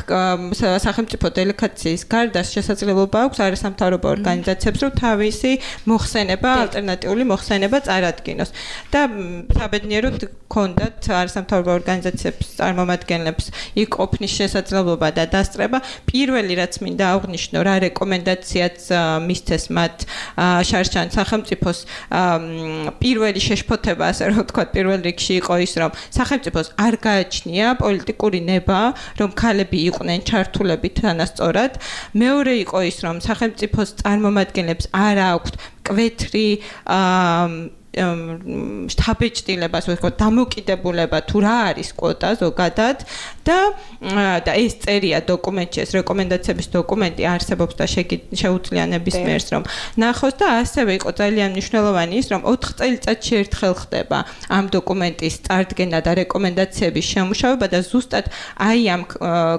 Speaker 5: სახელმწიფო დელეგაციის გარდა შესაძლებლობა აქვს არასამთავრობო ორგანიზაციებს, რომ თავისი მოხსენება, ალტერნატიული მოხსენება წარადგინოს. და საბედნიეროდ ჰქონდათ არასამთავრობო ორგანიზაციებს წარმომადგენლებს იქ ყოფნის შესაძლებლობა და დასწრება. პირველი რაც მინდა აღვნიშნო, რა რეკომენდაციაც მისცეს მათ შარშან სახელმწიფოს პირველი შეშფოთება, ასე რომ ვთქვათ, პირველ რიგში იყო ის, რომ სახელმწიფოს არ გააჩნია პოლიტიკური ნება, რომ ქალები იყვნენ ჩართულები თანასწორად. მეორე იყო ის, რომ სახელმწიფოს წარმომადგენლებს არ აქვთ მკვეთრი შთაბეჭდილებას, ვთქვათ, დამოკიდებულება თუ რა არის კვოტა ზოგადად და ეს წერია დოკუმენტში, ეს რეკომენდაციების დოკუმენტი არსებობს და შეუძლია ნებისმიერს რომ ნახოს და ასევე იყო ძალიან მნიშვნელოვანი ის, რომ 4 წელიწადში ერთხელ ხდება ამ დოკუმენტის წარდგენა და რეკომენდაციების შემუშავება და ზუსტად აი ამ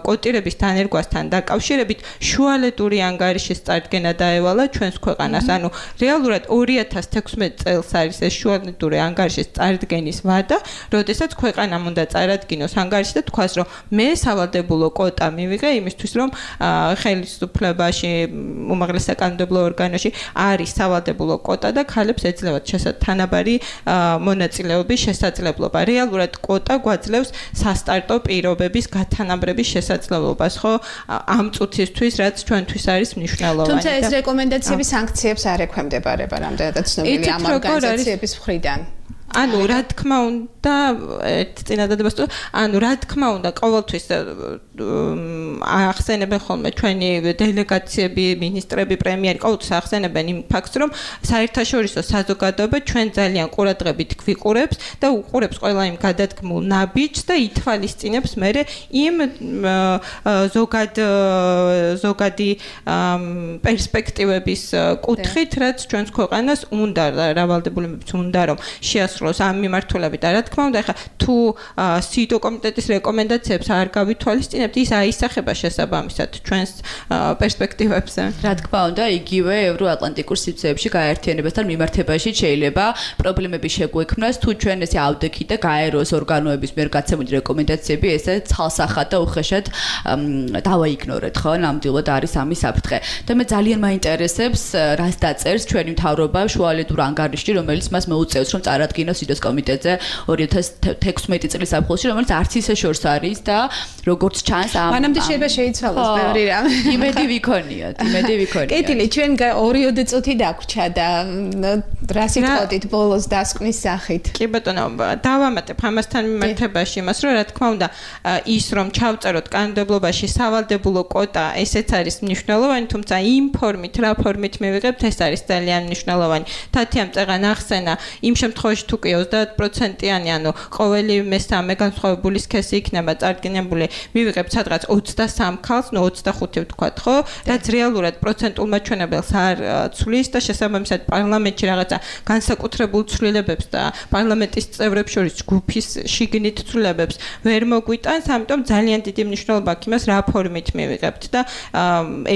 Speaker 5: კვოტირების დანერგვასთან დაკავშირებით შუალედური ანგარიშის წარდგენა დაევალა ჩვენს ქვეყანას. ანუ რეალურად 2016 წელს არის ეს შუალედური ანგარიშის წარდგენის ვადა, როდესაც ქვეყანამ უნდა წარადგინოს ანგარიში და თქვას, რომ მე სავალდებულო კვოტა მივიღე იმისთვის, რომ ხელისუფლებაში, უმაღლეს საკანონმდებლო ორგანოში არის სავალდებულო კვოტა და ქალებს ეძლევათ თანაბარი მონაწილეობის შესაძლებლობა. რეალურად კვოტა გვაძლევს სასტარტო პირობების გათანაბრების შესაძლებლობას, ხო? ამ წუთისთვის, რაც ჩვენთვის არის მნიშვნელოვანი.
Speaker 4: თუმცა ეს რეკომენდაციები სანქციებს არ ექვემდებარება, რამდენადაც ცნობილია ამ ორგანიზაციების მხრიდან.
Speaker 5: ანუ რა თქმა უნდა, წინადადებას თუ ანუ რა თქმა უნდა, ყოველთვის ახსენებენ ხოლმე ჩვენი დელეგაციები, ministrები, პრემიერი, ყოველთვის ახსენებენ იმ ფაქტს, რომ საერთაშორისო საზოგადოება ჩვენ ძალიან ყურადღებით გვიყურებს და უყურებს ყველა იმ გადადგმულ ნაბიჯს და ითვალისწინებს მერე იმ ზოგადი პერსპექტივების კუთხით, რაც ჩვენს ქვეყანას უნდა რავალდებულებებს უნდა რომ შეასრულოს ამ მიმართულებით და რა თქმა უნდა, ახლა თუ სიდო კომიტეტის რეკომენდაციებს არ გავითვალისწინებთ, ის აისახება შესაბამისად ჩვენს პერსპექტივებზე.
Speaker 6: რა თქმა უნდა, იგივე ევროატლანტიკურ სივრცეებში გაერთიანებასთან მიმართებაში შეიძლება პრობლემები შეგვექმნას, თუ ჩვენ ესე ავდექით და გაეროს ორგანოების მიერ გაცემული რეკომენდაციები ესე ცალსახად და უხეშად დავაიგნორეთ, ხო? ნამდვილად არის ამის საფრთხე. და მე ძალიან მაინტერესებს, რას დაწერს ჩვენი მთავრობა შუალედურ ანგარიშში, რომელიც მას მოუწევს, რომ წარადგინოს სიდოს კომიტეტზე 2016 წლის ზაფხულში, რომელიც არც ისე შორს არის და როგორც ჩანს
Speaker 4: მანამდე შეიძლება შეიცვალოს ბევრი რამ.
Speaker 6: იმედი ვიქონიათ.
Speaker 4: კეთილი, ჩვენ 2 წუთი დაგვრჩა და რა სიტყვით ბოლოს დასკვნის სახით.
Speaker 5: კი ბატონო, დავამატებ ამასთან მიმართებაში იმას, რომ რა თქმა უნდა, ის რომ ჩავწეროთ კანონმდებლობაში სავალდებულო კვოტა, ესეც არის მნიშვნელოვანი, თუმცა იმ ფორმით, რა ფორმით მივიღებთ, ეს არის ძალიან მნიშვნელოვანი. თათიამ წეღან ახსენა, იმ შემთხვევაში თუ კი 30%-იანი, ანუ ყოველი მესამე განსხვავებული სქესი იქნება წარდგენებული, მივიღებთ სადღაც 23 ქალს, 25 ვთქვათ, ხო? რაც რეალურად პროცენტულ მაჩვენებელს არ ცვლის და შესაბამისად პარლამენტში რაღაცა განსაკუთრებულ ცვლილებებს და პარლამენტის წევრებს შორის ჯგუფის შიგნით ცვლილებებს ვერ მოგვიტანს, ამიტომ ძალიან დიდი მნიშვნელობა აქვს იმას, რა ფორმით მივიღებთ და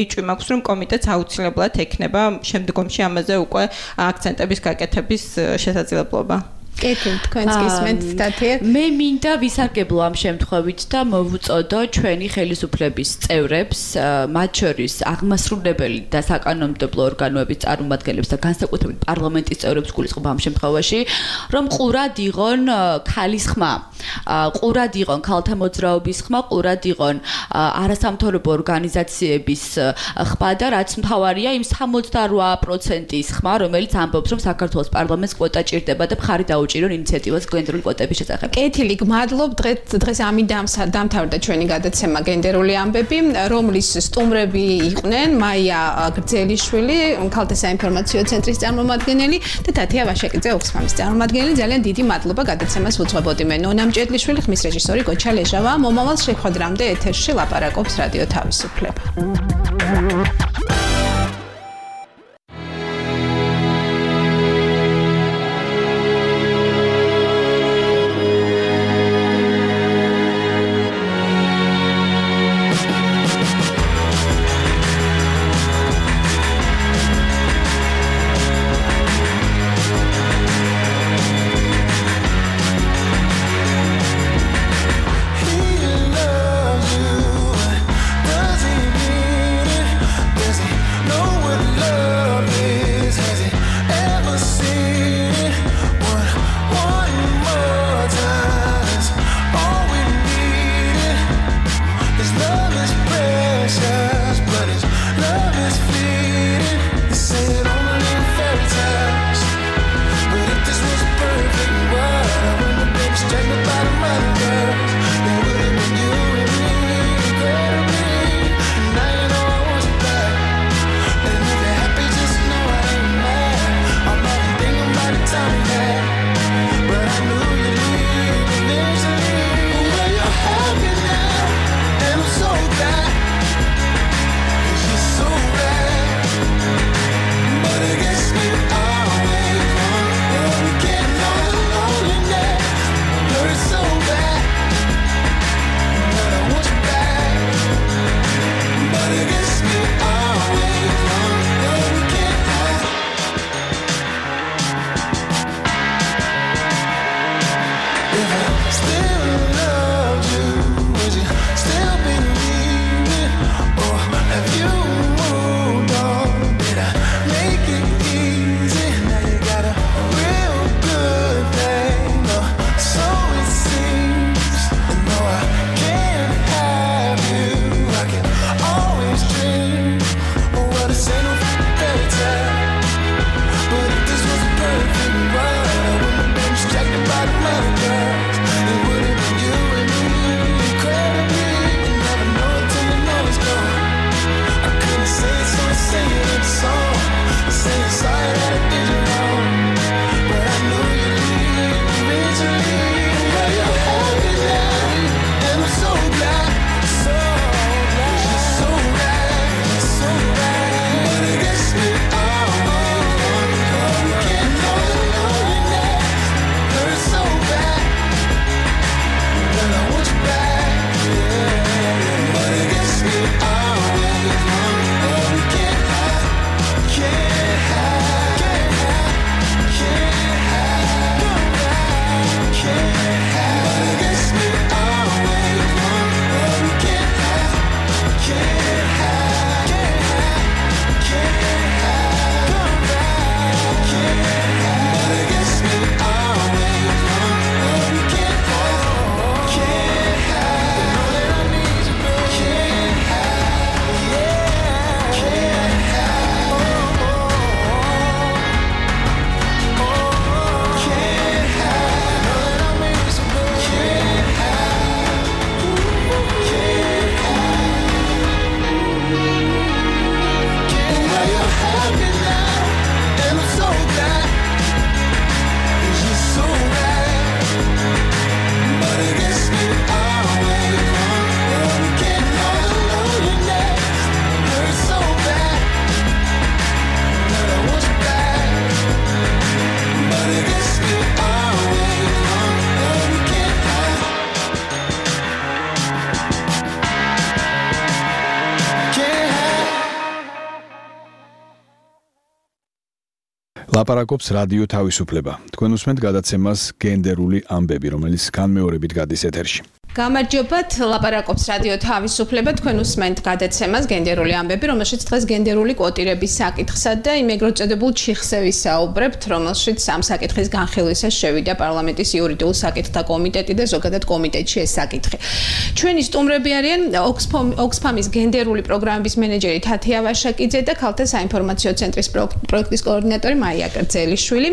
Speaker 5: ეჭვი მაქვს, რომ კომიტეტს აუცილებლად ექნება შემდგომში ამაზე უკვე აქცენტების გაკეთების შესაძლებლობა.
Speaker 4: კეთილ, თქვენს გისმენთ სტათია.
Speaker 6: მე მინდა ვისარგებლო ამ შემთხვევით და მოვუწოდო ჩვენი ხელისუფლების წევრებს, მათ შორის აღმასრულებელი და საკანონმდებლო ორგანოების წარმომადგენლებს და განსაკუთრებით პარლამენტის წევრებს გულისხმობ ამ შემთხვევაში, რომ ყურად იღონ ქალის ხმა, ყურად იღონ ქალთა მოძრაობის ხმა, ყურად იღონ არასამთავრობო ორგანიზაციების ხმა და რაც მთავარია იმ 68%-ის ხმა, რომელიც ამბობს, რომ საქართველოს პარლამენტს კვოტა ჭირდება და მხარი დაუჭირონ ინიციატივას გენდერული კვოტების შესახებ.
Speaker 4: კეთილი, გმადლობ. დღეს ამით დამთავრდა ჩვენი გადაცემა გენდერული ამბები, რომლის სტუმრები იყვნენ მაია გრძელიშვილი, ქალთა საინფორმაციო ცენტრის წარმომადგენელი და თათია ვაშაკიძე, ოქსფამის წარმომადგენელი. ძალიან დიდი მადლობა გადაცემას უძღვებოდი მე ნონა მჭედლიშვილი, ხმის რეჟისორი გოჩა ლეჟავა. მომავალ შეხვედრამდე ეთერში ლაპარაკობს რადიო თავისუფლება.
Speaker 3: ლაპარაკობს რადიო თავისუფლება. თქვენ უსმენთ გადაცემას გენდერული ამბები, რომელიც განმეორებით გადის ეთერში.
Speaker 4: გამარჯობათ, ლაპარაკობს რადიო თავისუფლება, თქვენ უსმენთ გადაცემას გენდერული ამბები, რომელშიც დღეს გენდერული კვოტირების საკითხსა და იმ ეგრეთ წოდებულ ჩიხზე ვისაუბრებთ, რომელშიც ამ საკითხის განხილვისას შევიდა პარლამენტის იურიდიულ საკითხთა კომიტეტი და ზოგადად კომიტეტში ეს საკითხი. ჩვენი სტუმრები არიან ოქსფამის გენდერული პროგრამების მენეჯერი თათია ვაშაკიძე და ქალთა საინფორმაციო ცენტრის პროექტის კოორდინატორი მაია კრძელიშვილი.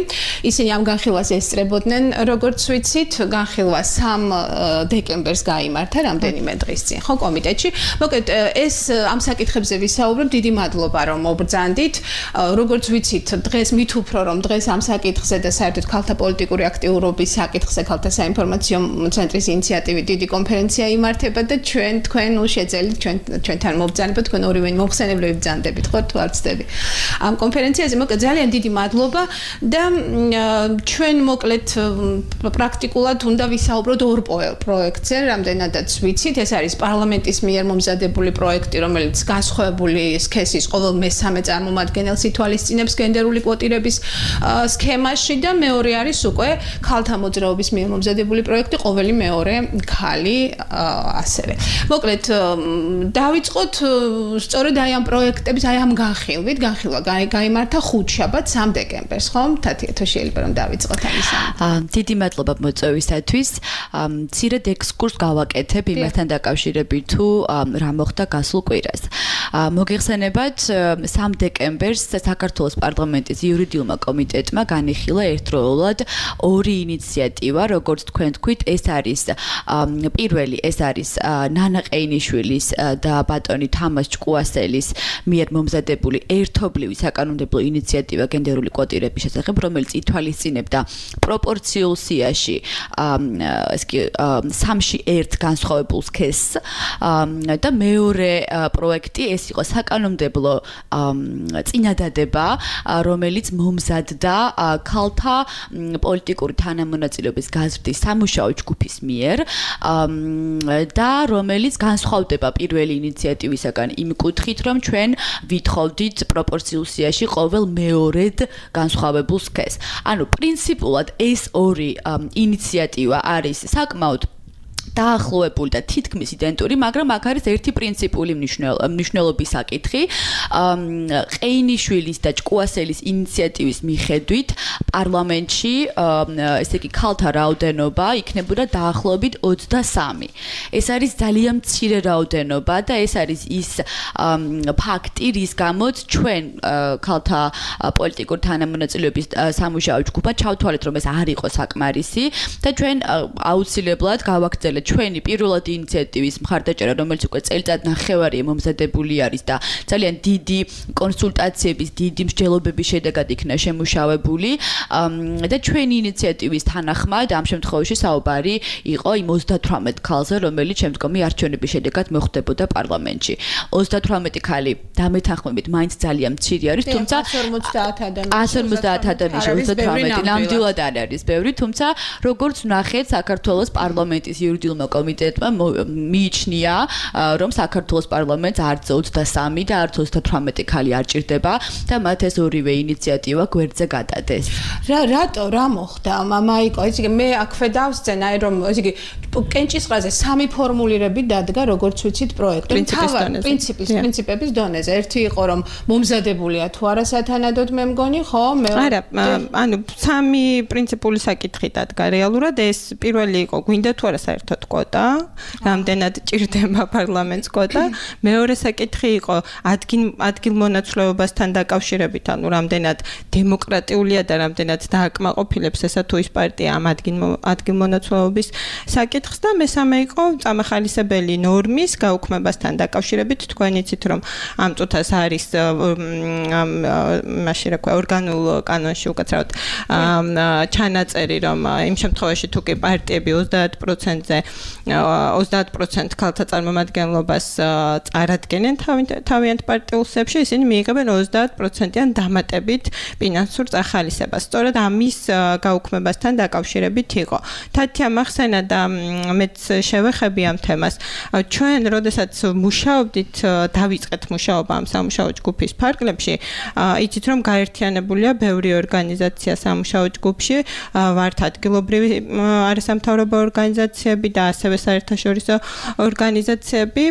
Speaker 4: ისინი ამ განხილვას ესწრებოდნენ, როგორც ვიცით, განხილვა 3 დეკემბერს გაიმართა რამდენიმე დღის წინ, ხო, კომიტეტში. მოკლედ, ეს ამ საკითხებზე ვისაუბრებთ, დიდი მადლობა, რომ მობრძანდით. როგორც ვიცით, დღეს მით უფრო რომ დღეს ამ საკითხზე და საერთოდ ქალთა პოლიტიკური აქტიურობის საკითხზე ქალთა საინფორმაციო ცენტრის ინიციატივით დიდი კონფერენცია იმართება და თქვენ შეძელით ჩვენთან მობრძანებოთ, თქვენ ორივე მოხსენებლები ბრძანდებით, ხო, თუ არ ვცდები. ამ კონფერენციაზე მოკლედ ძალიან დიდი მადლობა და ჩვენ მოკლედ პრაქტიკულად უნდა ვისაუბროთ ორ პროექტზე, რამდენადაც ვიცით, ეს არის პარლამენტის მიერ მომზადებული პროექტი, რომელიც განსხვავებული სქესის ყოველ მესამე წარმომადგენელს ითვალისწინებს გენდერული კვოტირების სქემაში და მეორე არის უკვე ქალთა მოძრაობის მიერ მომზადებული პროექტი, ყოველი მეორე ქალი ასევე. მოკლედ, დავიწყოთ სწორედ აი ამ პროექტების, აი ამ განხილვით, განხილვა გაიმართა 5 შაბათს 3 დეკემბერს, ხო? თათია, თუ შეიძლება რომ დავიწყოთ ამისამით.
Speaker 6: დიდი მადლობა მოწვევისათვის. მცირედ ექსკურს გავაკეთებ იმასთან დაკავშირებით, თუ რა მოხდა გასულ კვირას. მოგეხსენებათ, 3 დეკემბერს საქართველოს პარლამენტის იურიდიულმა კომიტეტმა განიხილა ერთდროულად 2 ინიციატივა, როგორც თქვენ თქვით, ეს არის პირველი, ეს არის ნანა ყეინიშვილის და ბატონი თამაზ ჭკუასელის მიერ მომზადებული ერთობლივი საკანონმდებლო ინიციატივა გენდერული კვოტირების შესახებ, რომელიც ითვალისწინებდა პროპორციულ სიაში 3-ში 1 განსხვავებულ სქესს და მეორე პროექტი ეს იყო საკანონმდებლო წინადადება, რომელიც მომზადდა ქალთა პოლიტიკური თანამონაწილეობის გაზრდის სამუშაო ჯგუფის მიერ და რომელიც განსხვავდება პირველი ინიციატივისაგან იმ კუთხით, რომ ჩვენ ვითხოვდით პროპორციულ სიაში ყოველ მეორედ განსხვავებულ სქესს. ანუ პრინციპულად ეს 2 ინიციატივა არის საკმაოდ დაახლოებული და თითქმის იდენტური, მაგრამ აქ არის ერთი პრინციპული მნიშვნელობის საკითხი. ყეინიშვილის და ჭკუასელის ინიციატივის მიხედვით პარლამენტში, ესე იგი, ქალთა რაოდენობა იქნებოდა დაახლოებით 23. ეს არის ძალიან მცირე რაოდენობა და ეს არის ის ფაქტი, რის გამოც ჩვენ ქალთა პოლიტიკური თანამონაწილეობის სამუშაო ჯგუფმა ჩავთვალეთ, რომ ეს არ იყო საკმარისი და ჩვენ აუცილებლად გავაგრძელებთ ჩვენი პირველადი ინიციატივის მხარდაჭერა, რომელიც უკვე წელიწად ნახევარია მომზადებული არის და ძალიან დიდი კონსულტაციების, დიდი მსჯელობების შედეგად იქნა შემუშავებული და ჩვენი ინიციატივის თანახმად ამ შემთხვევაში საუბარი იყო იმ 38 ქალზე, რომელიც შემდგომი არჩევნების შედეგად მოხდებოდა პარლამენტში. 38 ქალი დამეთანხმებით მაინც ძალიან მცირე არის, თუმცა 150 ადამიანში 38 ნამდვილად არ არის ბევრი, თუმცა როგორც ვნახეთ, საქართველოს პარლამენტის იურიდიულ კომიტეტმა მიიჩნია, რომ საქართველოს პარლამენტს არც 23 და არც 38 ქალი არ ჭირდება და მათ ეს ორივე ინიციატივა გვერდზე გადადეს.
Speaker 4: რა მოხდა? მაიკო, ესე იგი მე აქვე დავსწენ, აი რომ ესე იგი კენჭისყრაზე 3 ფორმულირები დადგა, როგორც ვიცით, პროექტი. პრინციპების დონეზე. ერთი იყო რომ მომზადებულია თუ არა სათანადოდ მე მგონი, ხო?
Speaker 5: არა, ანუ 3 პრინციპული საკითხი დადგა რეალურად. ეს პირველი იყო, გვინდა თუ არა საერთოდ კვოტა, რამდენად ჭირდება პარლამენტს კვოტა. მეორე საკითხი იყო ადგილმონაცვლეობასთან დაკავშირებით, ანუ რამდენად დემოკრატიულია და რამდენად დააკმაყოფილებს ესა თუ ის პარტია ამ ადგილმონაცვლეობის საკითხს და მესამე იყო წამახალისებელი ნორმის გაუქმებასთან დაკავშირებით. თქვენ იცით, რომ ამ წუთას არის მაშინ რა ქვია ორგანულ კანონში უკაცრავად ჩანაწერი, რომ იმ შემთხვევაში თუ კი პარტიები 30%-ზე 30% ქალთა წარმომადგენლობას წარადგენენ თავიანთ პარტიულ სიებში, ისინი მიიღებენ 30%-იან დამატებით ფინანსურ წახალისებას. სწორედ ამის გაუქმებასთან დაკავშირებით იყო. თათია მახსენა და მეც შევეხები ამ თემას. ჩვენ როდესაც მუშაობდით, დავიწყეთ მუშაობა ამ სამუშაო ჯგუფის ფარგლებში, იცით რომ გაერთიანებულია ბევრი ორგანიზაცია სამუშაო ჯგუფში, ვართ ადგილობრივი არასამთავრობო ორგანიზაციები და ასევე საერთაშორისო ორგანიზაციები.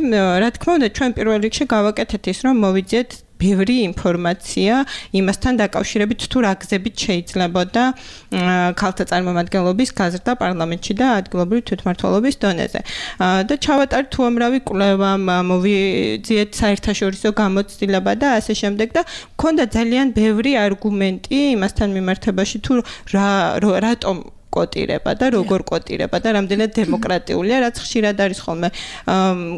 Speaker 5: რა თქმა უნდა, ჩვენ პირველ რიგში გავაკეთეთ ის, რომ მოვიძიეთ ბევრი ინფორმაცია იმასთან დაკავშირებით თუ რა გზებით შეიძლებოდა ქალთა წარმომადგენლობის გაზრდა პარლამენტში და ადგილობრივი თვითმმართველობის დონეზე. და ჩავატართ უამრავი კვლევა, მოვიძიეთ საერთაშორისო გამოცდილება და ასე შემდეგ და მქონდა ძალიან ბევრი არგუმენტი იმასთან მიმართებაში თუ რატომ კოტირება და როგორ კოტირება და რამდენად დემოკრატიულია, რაც ხშირად არის ხოლმე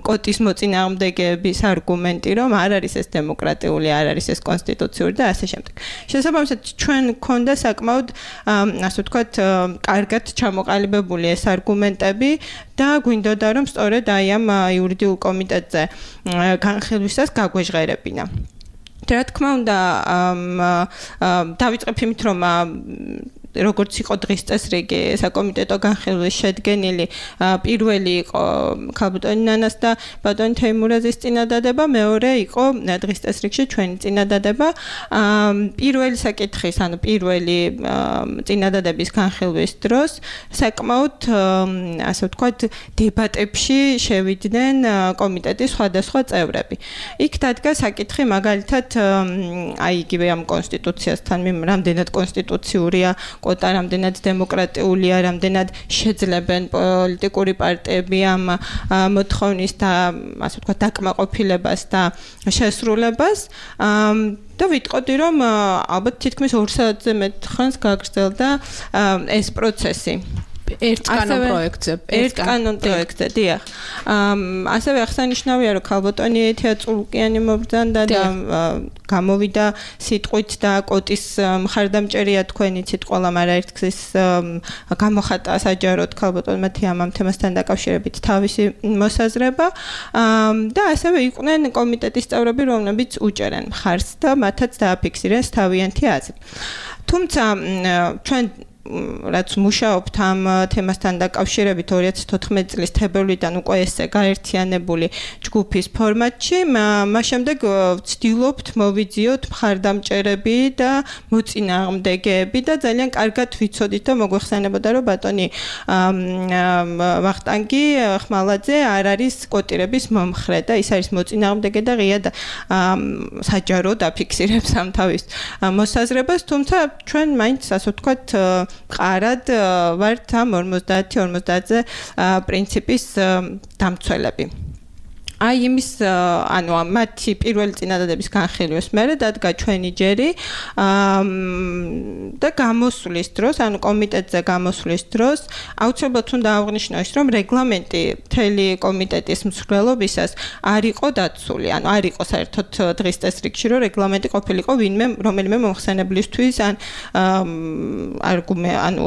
Speaker 5: კოტის მოწინააღმდეგეების არგუმენტი, რომ არ არის ეს დემოკრატიული, არ არის ეს კონსტიტუციური და ასე შემდეგ. შესაბამისად, ჩვენ გქონდა საკმაოდ, ასე ვთქვათ, კარგად ჩამოყალიბებული ეს არგუმენტები და გვინდოდა რომ სწორედ აი ამ იურიდიულ კომიტეტზე განხილვისას გაგვეჟღერებინა. რა თქმა უნდა, დავიწყებ იმით, რომ როგორც იყო დღის წესრიგი საკომიტეტო განხილვის შედგენილი, პირველი იყო ქალბატონი ნანას და ბატონი თეიმურაზის წინადადება, მეორე იყო დღის წესრიგში ჩვენი წინადადება. პირველი საკითხის, ანუ პირველი წინადადების განხილვის დროს საკმაოდ, ასე ვთქვათ, დებატებში შევიდნენ კომიტეტის სხვადასხვა წევრები. იქ დადგა საკითხი მაგალითად, აი იგივე ამ კონსტიტუციასთან, რამდენად კონსტიტუციურია კოტა, რამდენად დემოკრატიულია, რამდენად შეძლებენ პოლიტიკური პარტიები ამ მოთხოვნის და ასე ვთქვათ დაკმაყოფილებას და შესრულებას. და ვიტყოდი რომ ალბათ თითქმის 2 საათზე მეტ ხანს გაგრძელდა ეს პროცესი. ერთ კანონ პროექტზე, დიახ. ასევე აღსანიშნავია, რომ ქალბატონი ეთია წულკიანი მობრძანდა და გამოვიდა სიტყვით და კოტის მხარდამჭერია თქვენ იცით ყველა მარაერთგზის გამოხატა საჯაროდ ქალბატონმა ამ თემასთან დაკავშირებით თავისი მოსაზრება და ასევე იყვნენ კომიტეტის წევრები, რომლებიც უჭერენ მხარს და მათაც დააფიქსირეს თავიანთი აზრი. თუმცა ჩვენ რაც მუშაობთ ამ თემასთან დაკავშირებით 2014 წლის თებერვლიდან უკვე ესე გაერთიანებული ჯგუფის ფორმატში, მას შემდეგ ვცდილობთ მოვიძიოთ მხარდამჭერები და მოწინააღმდეგეები და ძალიან კარგად ვიცოდით და მოგვეხსენებოდა რომ ბატონი ვახტანგი ხმალაძე არ არის კოტირების მომხრე და ის არის მოწინააღმდეგე და ღია და საჯაროდ აფიქსირებს ამ თავის მოსაზრებას, თუმცა ჩვენ მაინც ასე ვთქვათ ყარად ვართ ამ 50-50-ზე პრინციპის დამცველები. აი იმის ანუ მათი პირველი წინადადების განხილვის მერე დადგა ჩვენი ჯერი და გამოსვლის დროს, ანუ კომიტეტზე გამოსვლის დროს აუცილებლად უნდა აღვნიშნო ის, რომ რეგლამენტი მთელი კომიტეტის მსვლელობისას არ იყო დაცული, ანუ არ იყო საერთოდ დღის წესრიგში, რომ რეგლამენტი ყოფილიყო რომელიმე მომხსენებლისთვის ან ანუ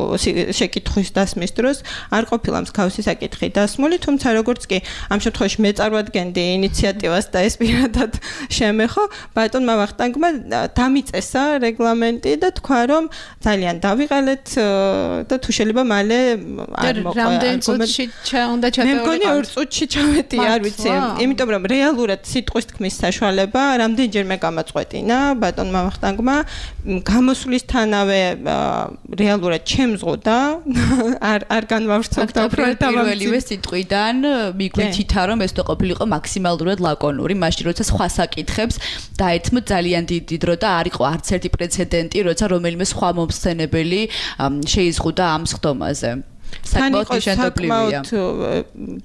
Speaker 5: შეკითხვის დასმის დროს არ ყოფილა მსგავსი საკითხი დასმული, თუმცა როგორც კი ამ შემთხვევაში მეწარმოადგენდი ინიციატივას და ეს პირადად შემეხო, ბატონმა ვახტანგმა დამიწესა რეგლამენტი და თქვა, რომ ძალიან დავიყალეთ და თუ შეიძლება მალე არ მოყვა.
Speaker 4: რამდენ წუთში უნდა ჩატეულიყო?
Speaker 5: მე მგონი 2 წუთში ჩავედი, არ ვიცი. იმიტომ რომ რეალურად სიტყვის თქმის საშუალება რამდენჯერმე გამაწყვეტინა ბატონმა ვახტანგმა, გამოსვლისთანავე რეალურად ჩემზღოდა, არ განვავრცელდა
Speaker 6: პირველივე სიტყვიდან მიგვიჩითა რომ ეს ყოფილიყო მაქსიმალურად ლაკონური, მაშინ როცა სხვა საკითხებს დაეთმო ძალიან დიდი დრო და არ იყო არც ერთი პრეცედენტი, როცა რომელიმე სხვა მომხსენებელი შეიზღუდა ამ სხდომაზე.
Speaker 5: საკმაოდ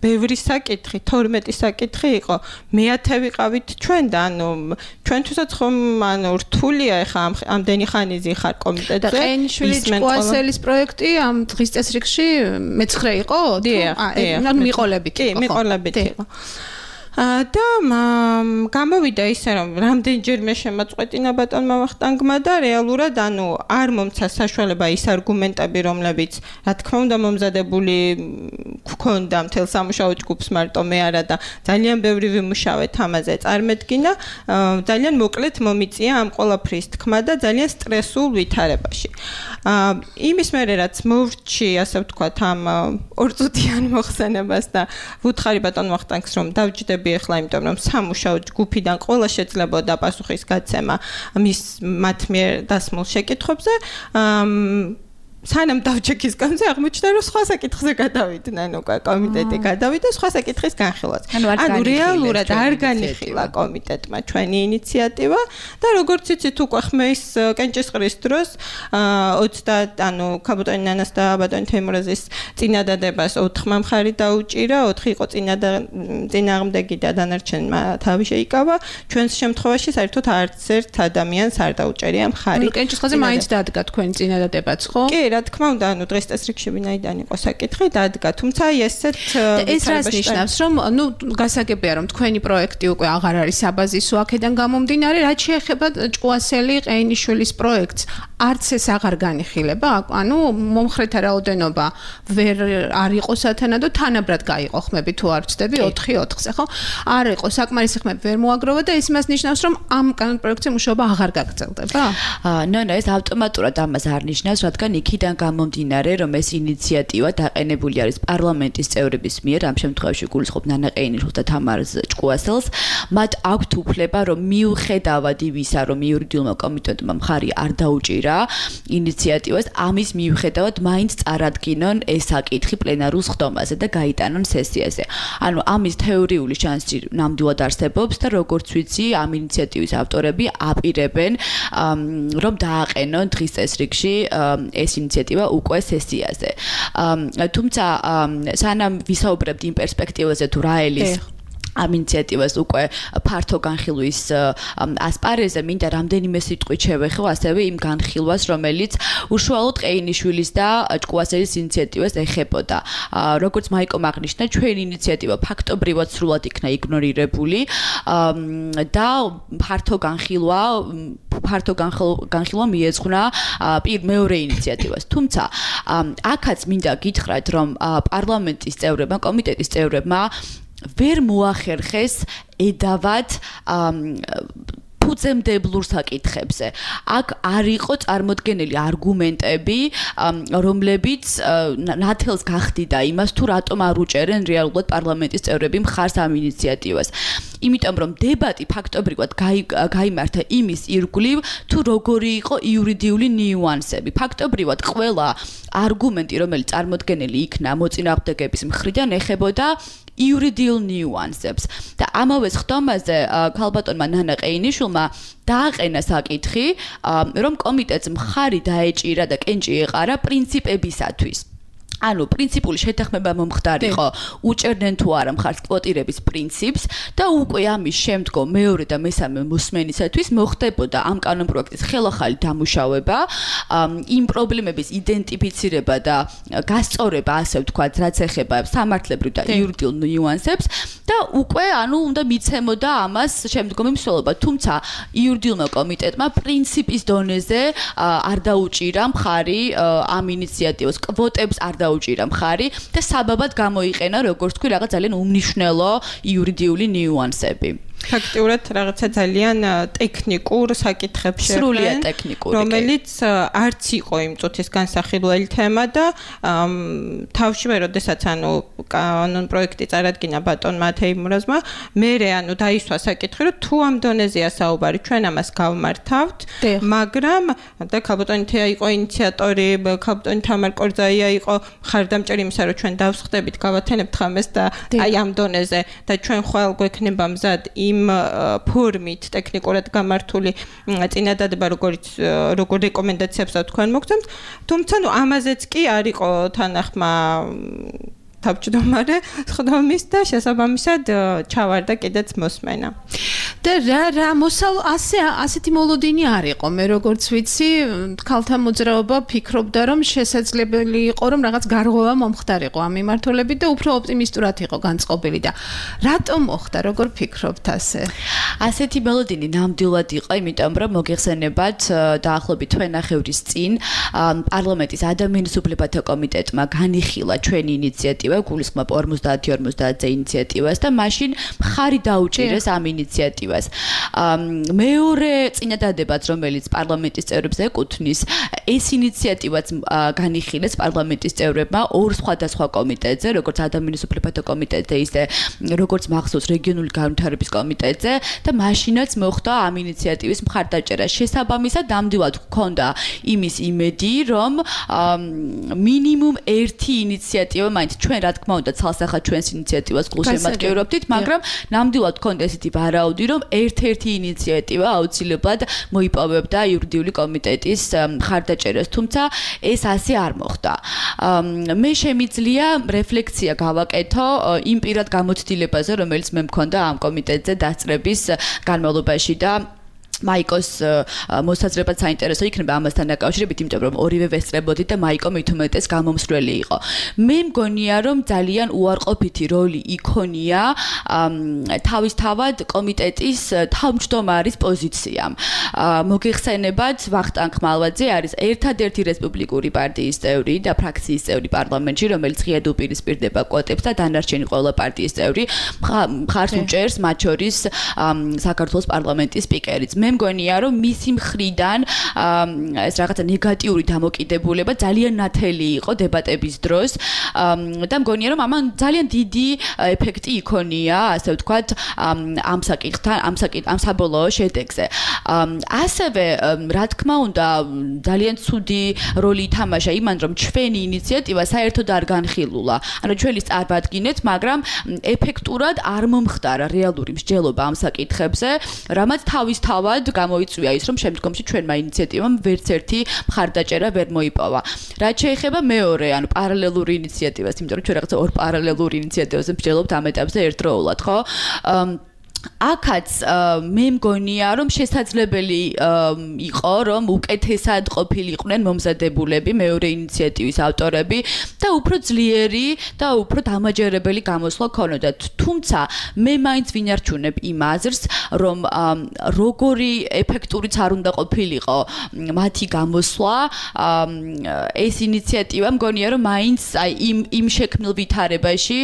Speaker 5: ბევრი საკითხი, 12 საკითხი იყო. მეათე ვიყავით ჩვენ და ანუ ჩვენთვისაც ხომ ანუ რთულია ეხა ამდენი ხანიზი ხარ კომიტეტზე.
Speaker 4: და ყენიშვილის კვასელის პროექტი ამ დღის წესრიგში მე-9 იყო? ანუ მიყოლებით იყო.
Speaker 5: კი, მიყოლებით იყო. და გამოვიდა ისე რომ რამდენჯერმე შემაწყვეტინა ბატონმა ვახტანგმა და რეალურად ანუ არ მომცა საშუალება ის არგუმენტები რომლებიც რა თქმა უნდა მომზადებული გქონდა მთელ სამუშაო ჯგუფს მარტო მე არა და ძალიან ბევრი ვიმუშავეთ ამაზე წარმედგინა ძალიან მოკლედ მომიწია ამ ყველაფრის თქმა და ძალიან სტრესულ ვითარებაში იმის მერე რაც მოვრჩი ასე ვთქვათ ამ ორწუთიან მოხსენებას და ვუთხარი ბატონ ვახტანგს რომ დავჯდები ახლა იმიტომ რომ სამუშაო ჯგუფიდან ყველა შეძლებოდა პასუხის გაცემა მათ მიერ დასმულ შეკითხვებზე სანამ დავჭექის გამზე აღმოჩნდა რომ სხვა საკითხზე გადავიდნენ უკვე კომიტეტი გადავიდა სხვა საკითხის განხილვაც ანუ რეალურად არ განიხილა კომიტეტმა ჩვენი ინიციატივა და როგორც იცით უკვე ხმის კენჭისყრის დროს 30 ანუ ქაბუტონი ნანას და ბატონი თემურაზის წინადადებას 4 მხარი დაუჭირა 4 იყო წინააღმდეგი და დანარჩენმა თავი შეიკავა ჩვენს შემთხვევაში საერთოდ არც ერთ ადამიანს არ დაუჭერია მხარი
Speaker 4: კენჭისყრაზე მაინც დადგა თქვენი წინადადებაც ხო
Speaker 5: კი რა თქმა უნდა, ანუ დღეს წესრიგში ვინაიდან იყო საკითხი, დადგა, თუმცა ესეთ
Speaker 4: ეს რას ნიშნავს, რომ ნუ გასაგებია, რომ თქვენი პროექტი უკვე აღარ არის საბაზისო აქედან გამომდინარე, რაც შეეხება ჭკუასელი ყეინიშვილის პროექტს, არც ეს აღარ განიხილება, ანუ მომხრეთა რაოდენობა ვერ არ იყო სათანადო, თანაბრად გაიყო ხმები თუ არ ვცდები 4-4-ზე, ხო? არ იყო საკმარისი ხმები ვერ მოაგროვა და ეს იმას ნიშნავს, რომ ამ კანონპროექტზე მუშაობა აღარ გაგრძელდება?
Speaker 6: ნო, ეს ავტომატურად ამას არ ნიშნავს, რადგან იქიდან გამომდინარე, რომ ეს ინიციატივა დაყენებული არის პარლამენტის წევრების მიერ, ამ შემთხვევაში გულისხმობ ნანა ყეინიშვილს და თამარ ჭკუასელს, მათ აქვთ უფლება, რომ მიუხედავად იმისა, რომ იურიდიულმა კომიტეტმა მხარი არ დაუჭირა ინიციატივას, ამის მიუხედავად მაინც წარადგინონ ეს საკითხი პლენარულ სხდომაზე და გაიტანონ სესიაზე. ანუ ამის თეორიული შანსი ნამდვილად არსებობს და როგორც ვიცი, ამ ინიციატივის ავტორები აპირებენ, რომ დააყენონ დღის წესრიგში ეს ინიციატივა უკვე სესიაზე. თუმცა სანამ ვისაუბრებთ იმ პერსპექტივაზე თუ რა ელის ამ ინიციატივას უკვე ფართო განხილვის ასპარეზზე მინდა რამდენიმე სიტყვით შევეხო ასევე იმ განხილვას, რომელიც უშუალოდ ყეინიშვილის და ჭკუასელის ინიციატივას ეხებოდა. როგორც მაიკომ აღნიშნა, ჩვენი ინიციატივა ფაქტობრივად სრულად იქნა იგნორირებული და ფართო განხილვა მიეძღვნა მეორე ინიციატივას. თუმცა აქაც მინდა გითხრათ, რომ პარლამენტის წევრებმა, კომიტეტის წევრებმა ვერ მოახერხეს ედავად ფუძემდებლურ საკითხებზე. აქ არ იყო წარმოდგენილი არგუმენტები, რომლებიც ნათელს გახდიდა იმას, თუ რატომ არ უჭერენ რეალურად პარლამენტის წევრები მხარს ამ ინიციატივას. იმიტომ რომ დებატი ფაქტობრივად გაიმართა იმის ირგვლივ, თუ როგორი იყო იურიდიული ნიუანსები. ფაქტობრივად ყველა არგუმენტი, რომელიც წარმოდგენილი იქნა მოწინააღმდეგების მხრიდან, ეხებოდა იურიდიულ ნიუანსებს და ამავე სხდომაზე ქალბატონმა ნანა ყეინიშვილმა დააყენა საკითხი, რომ კომიტეტს მხარი დაეჭირა და კენჭი ეყარა პრინციპებისათვის. ანუ პრინციპული შეთანხმება მომხდარიყო უჭერდნენ თუ არა მხარს კვოტირების პრინციპს და უკვე ამის შემდგომ მეორე და მესამე მოსმენისათვის მოხდებოდა ამ კანონპროექტის ხელახალი დამუშავება, იმ პრობლემების იდენტიფიცირება და გასწორება, ასე ვთქვათ, რაც ეხება სამართლებრივ და იურიდიულ ნიუანსებს და უკვე ანუ უნდა მიცემოდა ამას შემდგომი მსვლელობა. თუმცა იურიდიულმა კომიტეტმა პრინციპის დონეზე არ დაუჭირა მხარი ამ ინიციატივას, კვოტებს არ დაუჭირა მხარი და საბაბად გამოიყენა, როგორც თქვი, რაღაც ძალიან უმნიშვნელო იურიდიული ნიუანსები.
Speaker 5: ფაქტიურად რაღაცა ძალიან ტექნიკურ საკითხებში
Speaker 6: სრულიად ტექნიკური,
Speaker 5: რომელიც არც იყო იმ წუთის განსახილველი თემა და თავშივე როდესაც ანუ კანონპროექტი წარადგინა ბატონმა თეიმურაზმა, მერე ანუ დაისვა საკითხი, რომ თუ ამ დონეზეა საუბარი, ჩვენ ამას გავმართავთ, მაგრამ და ქალბატონი თეა იყო ინიციატორი, ქალბატონი თამარ კორძაია იყო მხარდამჭერი იმისა, რომ ჩვენ დავსხდებით, გავათენებთ ხამეს და აი ამ დონეზე და ჩვენ ხვალ გვექნება მზად იმ ფორმით ტექნიკურად გამართული წინადადება, როგორ რეკომენდაციებს თქვენ მოგცემთ, თუმცა ნუ ამაზეც კი არ იყო თანახმა თავმჯდომარე სხდომის და შესაბამისად ჩავარდა კიდეც მოსმენა.
Speaker 4: და რა ასეთი მოლოდინი არ იყო. მე როგორც ვიცი, ქალთა მოძრაობა ფიქრობდა, რომ შესაძლებელი იყო, რომ რაღაც გარღვევა მომხდარიყო ამ მიმართულებით და უფრო ოპტიმისტურად იყო განწყობილი და რატომ მოხდა, როგორ ფიქრობთ ასე?
Speaker 6: ასეთი მოლოდინი ნამდვილად იყო, იმიტომ რომ მოგეხსენებათ დაახლოებით თვენახევრის წინ პარლამენტის ადამიანის უფლებათა კომიტეტმა განიხილა ჩვენი ინიციატივა, გულისხმობ 50-50-ზე ინიციატივას და მაშინ მხარი დაუჭირეს ამ ინიციატივას. მეორე წინადადებაც, რომელიც პარლამენტის წევრებს ეკუთვნის, ეს ინიციატივაც განიხილეს პარლამენტის წევრებმა ორ სხვადასხვა კომიტეტზე, როგორც ადამიანის უფლებათა კომიტეტზე, ისე როგორც მახსოვს რეგიონული განვითარების კომიტეტზე და მაშინაც მოხდა ამ ინიციატივის მხარდაჭერა. შესაბამისად, ნამდვილად ჰქონდა იმის იმედი, რომ მინიმუმ ერთი ინიციატივა, მაინც ჩვენ რა თქმა უნდა ცალსახად ჩვენს ინიციატივას გულშემატკივრობდით, მაგრამ ნამდვილად ჰქონდა ესეთი ვარაუდი, რომ ერთ-ერთი ინიციატივა აუცილებლად მოიპოვებდა იურიდიული კომიტეტის მხარდაჭერას, თუმცა ეს ასე არ მოხდა. მე შემიძლია რეფლექსია გავაკეთო იმ პირად გამოცდილებაზე, რომელიც მე მქონდა ამ კომიტეტზე დასწრების განმავლობაში და მაიკოს მოსაზრებაც საინტერესო იქნება ამასთან დაკავშირებით, იმიტომ რომ ორივე ვესწრებოდით და მაიკო მით უმეტეს გამომსვლელი იყო. მე მგონია, რომ ძალიან უარყოფითი როლი იქონია თავისთავად კომიტეტის თავმჯდომარის პოზიციამ. მოგეხსენებათ, ვახტანგ ხმალვაძე არის ერთადერთი რესპუბლიკური პარტიის წევრი და ფრაქციის წევრი პარლამენტში, რომელიც ღიად უპირისპირდება კვოტებს და დანარჩენი ყველა პარტიის წევრი მხარს უჭერს მათ შორის საქართველოს პარლამენტის სპიკერიც. მე მგონია, რომ მისი მხრიდან ეს რაღაცა ნეგატიური დამოკიდებულება ძალიან ნათელი იყო დებატების დროს და მგონია, რომ ამან ძალიან დიდი ეფექტი იქონია, ასე ვთქვათ, ამ საკითხთან, ამ საბოლოო შედეგზე. ასევე, რა თქმა უნდა, ძალიან ცუდი როლი ითამაშა იმან, რომ ჩვენი ინიციატივა საერთოდ არ განხილულა. ანუ ჩვენი წარმატგინეთ, მაგრამ ეფექტურად არ მომხდარა რეალური მსჯელობა ამ საკითხებზე, რამაც თავისთავად გამოიწვია ის, რომ შემდგომში ჩვენმა ინიციატივამ ვერც ერთი მხარდაჭერა ვერ მოიპოვა. რაც შეეხება მეორე, ანუ პარალელური ინიციატივას, იმიტომ რომ ჩვენ რაღაცა ორ პარალელურ ინიციატივაზე მსჯელობთ ამ ეტაპზე ერთდროულად, ხო? აქაც მე მგონია, რომ შესაძლებელი იყო, რომ უკეთესად ყოფილიყვნენ მომზადებულები მეორე ინიციატივის ავტორები და უფრო ძლიერი და უფრო დამაჯერებელი გამოსვლა ქონოდათ. თუმცა მე მაინც ვინარჩუნებ იმ აზრს, რომ როგორი ეფექტურიც არ უნდა ყოფილიყო მათი გამოსვლა, ეს ინიციატივა მგონია, რომ მაინც იმ შექმნილ ვითარებაში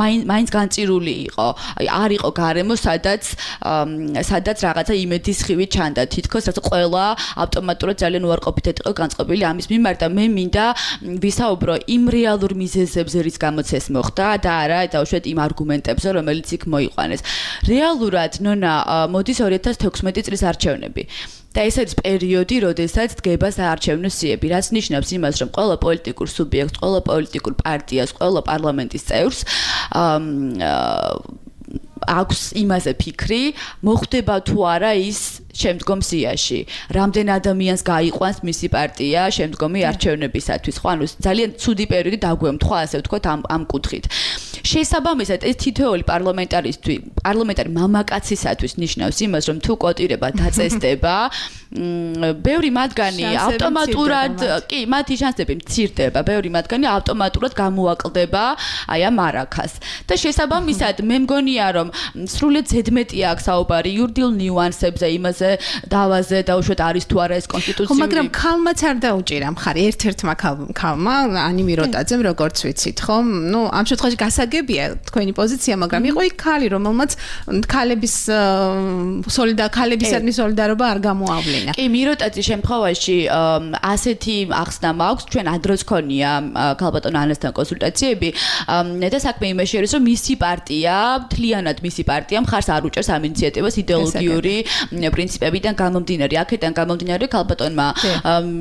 Speaker 6: მაინც განწირული იყო. არ იყო გარემო სადაც რაღაცა იმედის ხივი ჩანდა. თითქოს რაც ყველა ავტომატურად ძალიან უარყოფითად იყო განწყობილი ამის მიმართ და მე მინდა ვისაუბრო იმ რეალურ მიზეზებზე, რის გამოც ეს მოხდა და არა დავუშვათ იმ არგუმენტებზე, რომელიც იქ მოიყვანეს. რეალურად, ნონა, მოდის 2016 წლის არჩევნები. და ეს არის პერიოდი, როდესაც დგება საარჩევნო სიები, რაც ნიშნავს იმას, რომ ყველა პოლიტიკურ სუბიექტს, ყველა პოლიტიკურ პარტიას, ყველა პარლამენტის წევრს აქვს იმაზე ფიქრი, მოხდება თუ არა ის შემდგომ სიაში. რამდენ ადამიანს გაიყვანს მისი პარტია შემდგომი არჩევნებისათვის. ხო, ანუ ძალიან ცუდი პერიოდი დაგვემთხვა, ასე ვთქვათ, ამ კუთხით. შესაბამისად, ეს თითოეული პარლამენტარი მამაკაცისათვის ნიშნავს იმას, რომ თუ კვოტირება დაწესდება, ბევრი მათგანი ავტომატურად, კი, მათი შანსები მცირდება, ბევრი მათგანი ავტომატურად გამოაკლდება აი ამ არაქას. და შესაბამისად, მე მგონია, რომ სრულიად ზედმეტია აქ საუბარი იურიდიულ ნიუანსებზე, იმაზე დავაზე დაუშვათ არის თუ არა ეს კონსტიტუციური.
Speaker 4: მაგრამ ქალმაც არ დაუჭირა მხარი, ერთ-ერთმა ქალმა, ანი მიროტაძემ, როგორც ვიცით, ხო? ნუ ამ შემთხვევაში გასაგებია თქვენი პოზიცია, მაგრამ იყო იქ ქალი, რომელმაც ქალების ქალებისადმი სოლიდარობა არ გამოავლინა.
Speaker 6: კი, მიროტაძის შემთხვევაში ასეთი ახსნა მაქვს, ჩვენ ადროც ქონია ქალბატონ ანასთან კონსულტაციები და საქმე იმაში არის, რომ მისი პარტია, მთლიანად მისი პარტია მხარს არ უჭერს ამ ინიციატივას იდეოლოგიური პრინციპებიდან გამომდინარე. აქედან გამომდინარე ქალბატონმა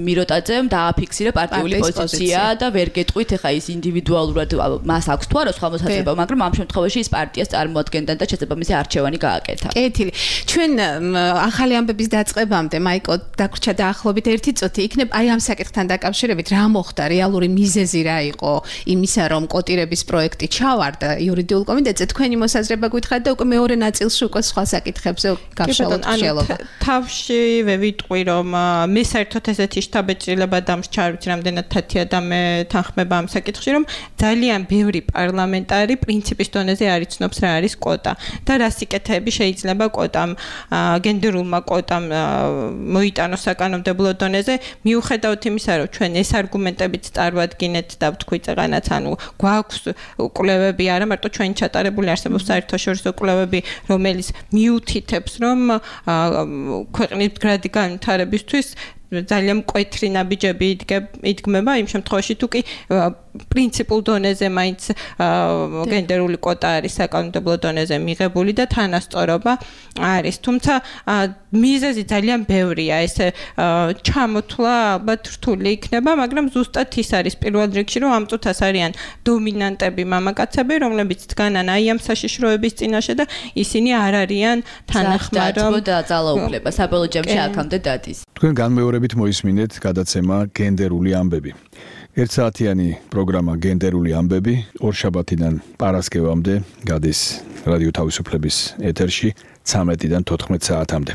Speaker 6: მიროტაძემ დააფიქსირა პარტიული პოზიცია და ვერ გეტყვით, ეხა ის ინდივიდუალურად მას აქვს თუ არა სხვა მოსაზრება, მაგრამ ამ შემთხვევაში ის პარტიას წარმოადგენდა და შესაბამისი არჩევანი გააკეთა.
Speaker 4: კეთილი. ჩვენ ახალი ამბების დაწყებამდე მაიკო დაგვრჩა დაახლოებით 1 წუთი იქნებ აი ამ საკითხთან დაკავშირებით რა მოხდა, რეალური მიზეზი რა იყო იმისა, რომ კოტირების პროექტი ჩავარდა იურიდიულ კომიტეტზე, თქვენი მოსაზრება გითხრათ და უკვე მეორე ნაწილში უკვე სხვა საკითხებზე გავშალოთ ხშელობა.
Speaker 5: თავშივე ვიტყვი, რომ მე საერთოდ ესეთი შთაბეჭდილება დამსჩა, ვიცი რამდენად თათია და მე თანხმება ამ საკითხში, რომ ძალიან ბევრი პარლამენტარი პრინციპის დონეზე არ იცნობს რა არის კვოტა და რა სიკეთეები შეიძლება კვოტამ გენდერულმა კვოტამ მოიტანოს საკანონმდებლო დონეზე, მიუხედავად იმისა, რომ ჩვენ ეს არგუმენტებიც წარვადგინეთ და ვთქვით ეღანაც, ანუ გვაქვს კვლევები, არა მარტო ჩვენი ჩატარებული არსებობს საერთაშორისო კვლევები, რომელიც მიუთითებს, რომ ქვეყნის მდგრადი განვითარებისთვის ძალიან მკვეთრი ნაბიჯები იდგმება იმ შემთხვევაში თუ კი პრინციპულ დონეზე მაინც გენდერული კვოტა არის საკანონმდებლო დონეზე მიღებული და თანასწორობა არის. თუმცა მიზეზი ძალიან ბევრია, ეს ჩამოთვლა ალბათ რთული იქნება, მაგრამ ზუსტად ის არის პირველ რიგში, რომ ამ წუთას არიან დომინანტები მამაკაცები, რომლებიც დგანან აი ამ საშიშროების წინაშე და ისინი არ არიან თანახმად, რომ
Speaker 6: და ძალაუფლება საბოლოო ჯამში აქამდე დადის.
Speaker 3: თქვენ განმეორებით მოისმინეთ გადაცემა გენდერული ამბები. 1 საათიანი პროგრამა გენდერული ამბები ორშაბათიდან პარასკევამდე გადის რადიო თავისუფლების ეთერში 13-დან 14 საათამდე.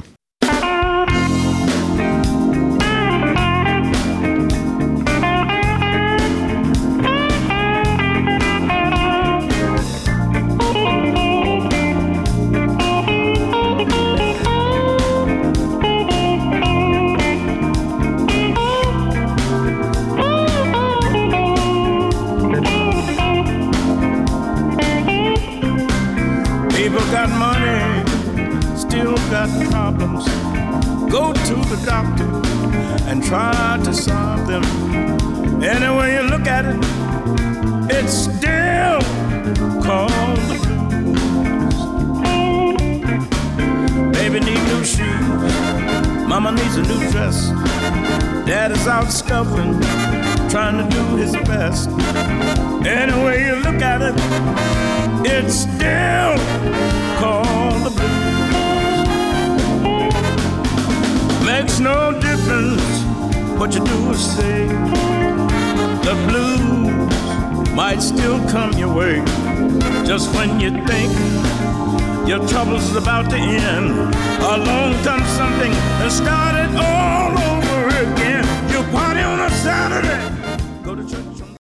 Speaker 7: Got money, still got problems. Go to the doctor and try to solve them. Any way you look at it, it's still called the blues. Baby need new shoes, mama needs a new dress. Dad is out scuffling, trying to do his best. Any way you look at it, it's still called the blues. Makes no difference what you do or say. The blues might still come your way. Just when you think your trouble's about to end, along comes something and start it all over again. You party on a Saturday, go to church